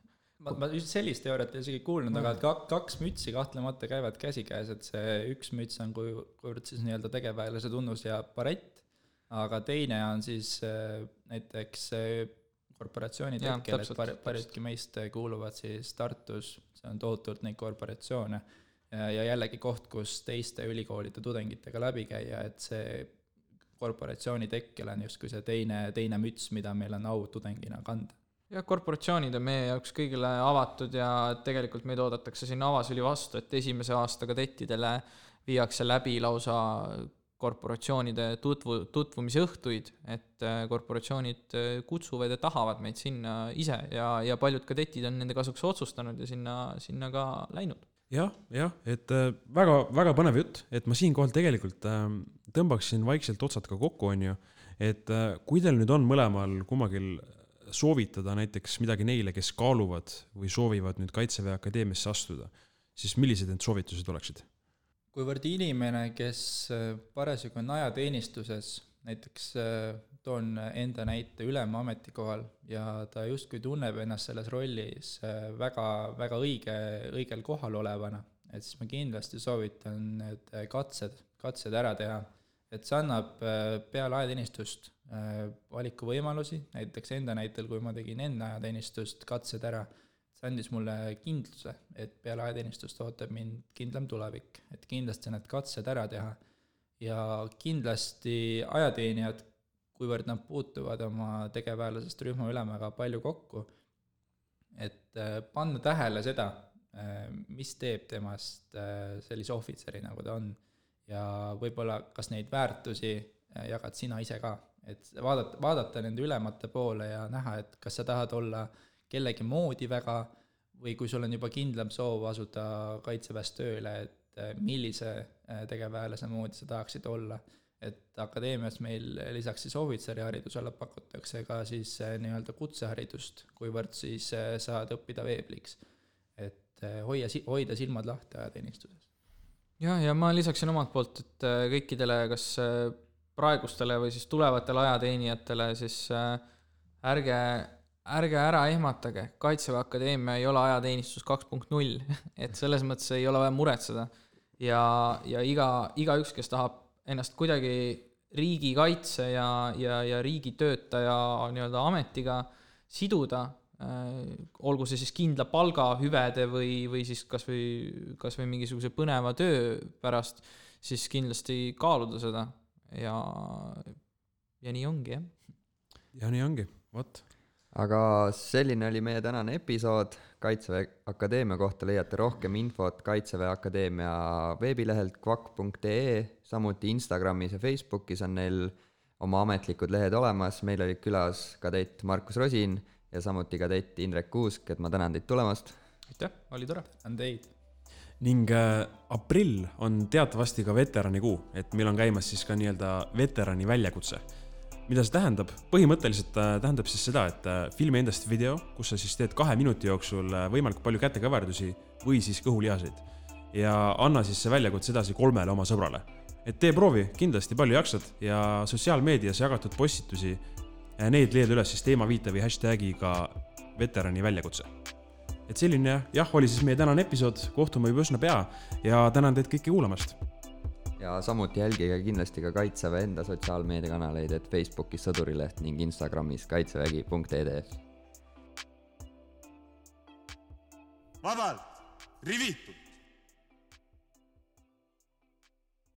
E: Ma just sellist teooriat ei isegi kuulnud, aga 2 mütsi kahtlemata käivad käsikäes, et see 1 müts on kuivõrd siis nii-öelda tegevväelase tunnus ja barett, aga teine on siis näiteks korporatsiooni tekkel, et paljudki meist kuuluvad siis Tartus, see on tohutult neid korporatsioone ja jällegi koht, kus teiste ülikoolide tudengitega läbi käia, et see korporatsiooni tekkel on justkui see teine müts, mida meil on au tudengina kanda.
F: Ja korporatsioonid on meie jaoks kõigile avatud ja tegelikult meid oodatakse sinna avasüli vastu, et esimese aasta kadettidele viiakse läbi lausa korporatsioonide tutvumise õhtuid, et korporatsioonid kutsuvad ja tahavad meid sinna ise ja paljud kadetid on nende kasuks otsustanud ja sinna ka läinud.
D: Jah, et väga, väga põnev jutt, et ma siinkohal tegelikult tõmbaksin vaikselt otsad ka kokku, on ju, et kui teil nüüd on mõlemal kummagil soovitada näiteks midagi neile, kes kaaluvad või soovivad nüüd Kaitseväe Akadeemiasse astuda, siis millised need soovitused oleksid?
E: Kuivõrd inimene, kes parasjagu on ajateenistuses, näiteks toon enda näite ülema ametikohal ja ta justkui tunneb ennast selles rollis väga, väga õigel kohal olevana, et siis ma kindlasti soovitan need katsed ära teha, et see annab peale ajateenistust valikuvõimalusi, näiteks enda näitel, kui ma tegin enda ajateenistust katsed ära, see andis mulle kindluse, et peale ajateenistust ootab mind kindlam tulevik, et kindlasti need katsed ära teha ja kindlasti ajateenijad, kuivõrd nad puutuvad oma tegevväelasest rühma ülemaga palju kokku, et panna tähele seda, mis teeb temast sellise ohvitseri, nagu ta on ja võib-olla kas neid väärtusi jagad sina ise ka, et vaadata nende ülemate poole ja näha, et kas sa tahad olla kellegi moodi väga või kui sul on juba kindlam soov asuda kaitseväes tööle, et millise tegevväelase moodi sa tahaksid olla. Et akadeemias meil lisaks siis ohvitseriharidusele pakutakse ka siis nii-öelda kutseharidust, kuivõrd siis saad õppida veebliks, et hoida silmad lahti ajateenistuses.
F: Ja ma lisaksin omalt poolt, et kõikidele kas praegustele või siis tulevatele ajateenijatele siis ärge ära ehmatage, Kaitseväe Akadeemia ei ole ajateenistus 2.0, et selles mõttes ei ole vaja muretseda ja igaüks, kes tahab ennast kuidagi riigikaitse ja riigitöötaja nii-öelda ametiga siduda, olgu see siis kindla palga hüvede või siis kas või mingisuguse põneva töö pärast, siis kindlasti kaaluda seda ja nii ongi, jah.
D: Ja nii ongi, võt.
C: Aga selline oli meie tänane episood. Kaitseväe Akadeemia kohta leiate rohkem infot Kaitseväe Akadeemia veebilehelt kvak.ee, samuti Instagramis ja Facebookis on neil oma ametlikud lehed olemas. Meil olid külas kadett Markus Rosin ja samuti kadett Indrek Kuusk, et ma tänan teid tulemast.
F: Aitäh, oli tore.
E: On teid.
D: Ning aprill on teatavasti ka veterani kuu, et meil on käimas siis ka nii-öelda veterani väljakutse. Mida see tähendab? Põhimõtteliselt tähendab siis seda, et filmi endast video, kus sa siis teed 2 minuti jooksul võimalikult palju kätekõverdusi või siis kõhulihaseid ja anna siis see väljakutse edasi 3 oma sõbrale. Et tee proovi, kindlasti palju jaksad ja sotsiaalmeedias jagatud postitusi, need leiad üles siis teemaviite või hashtagiga veterani väljakutse. Et selline oli siis meie tänane episood, kohtume juba üsna pea ja tänan teid kõiki kuulamast.
C: Ja samuti jälgige kindlasti ka Kaitseväe enda sotsiaalmeediakanaleid, et Facebookis Sõdurileht ning Instagramis kaitsevägi.ed.
B: Vabalt, rivitud!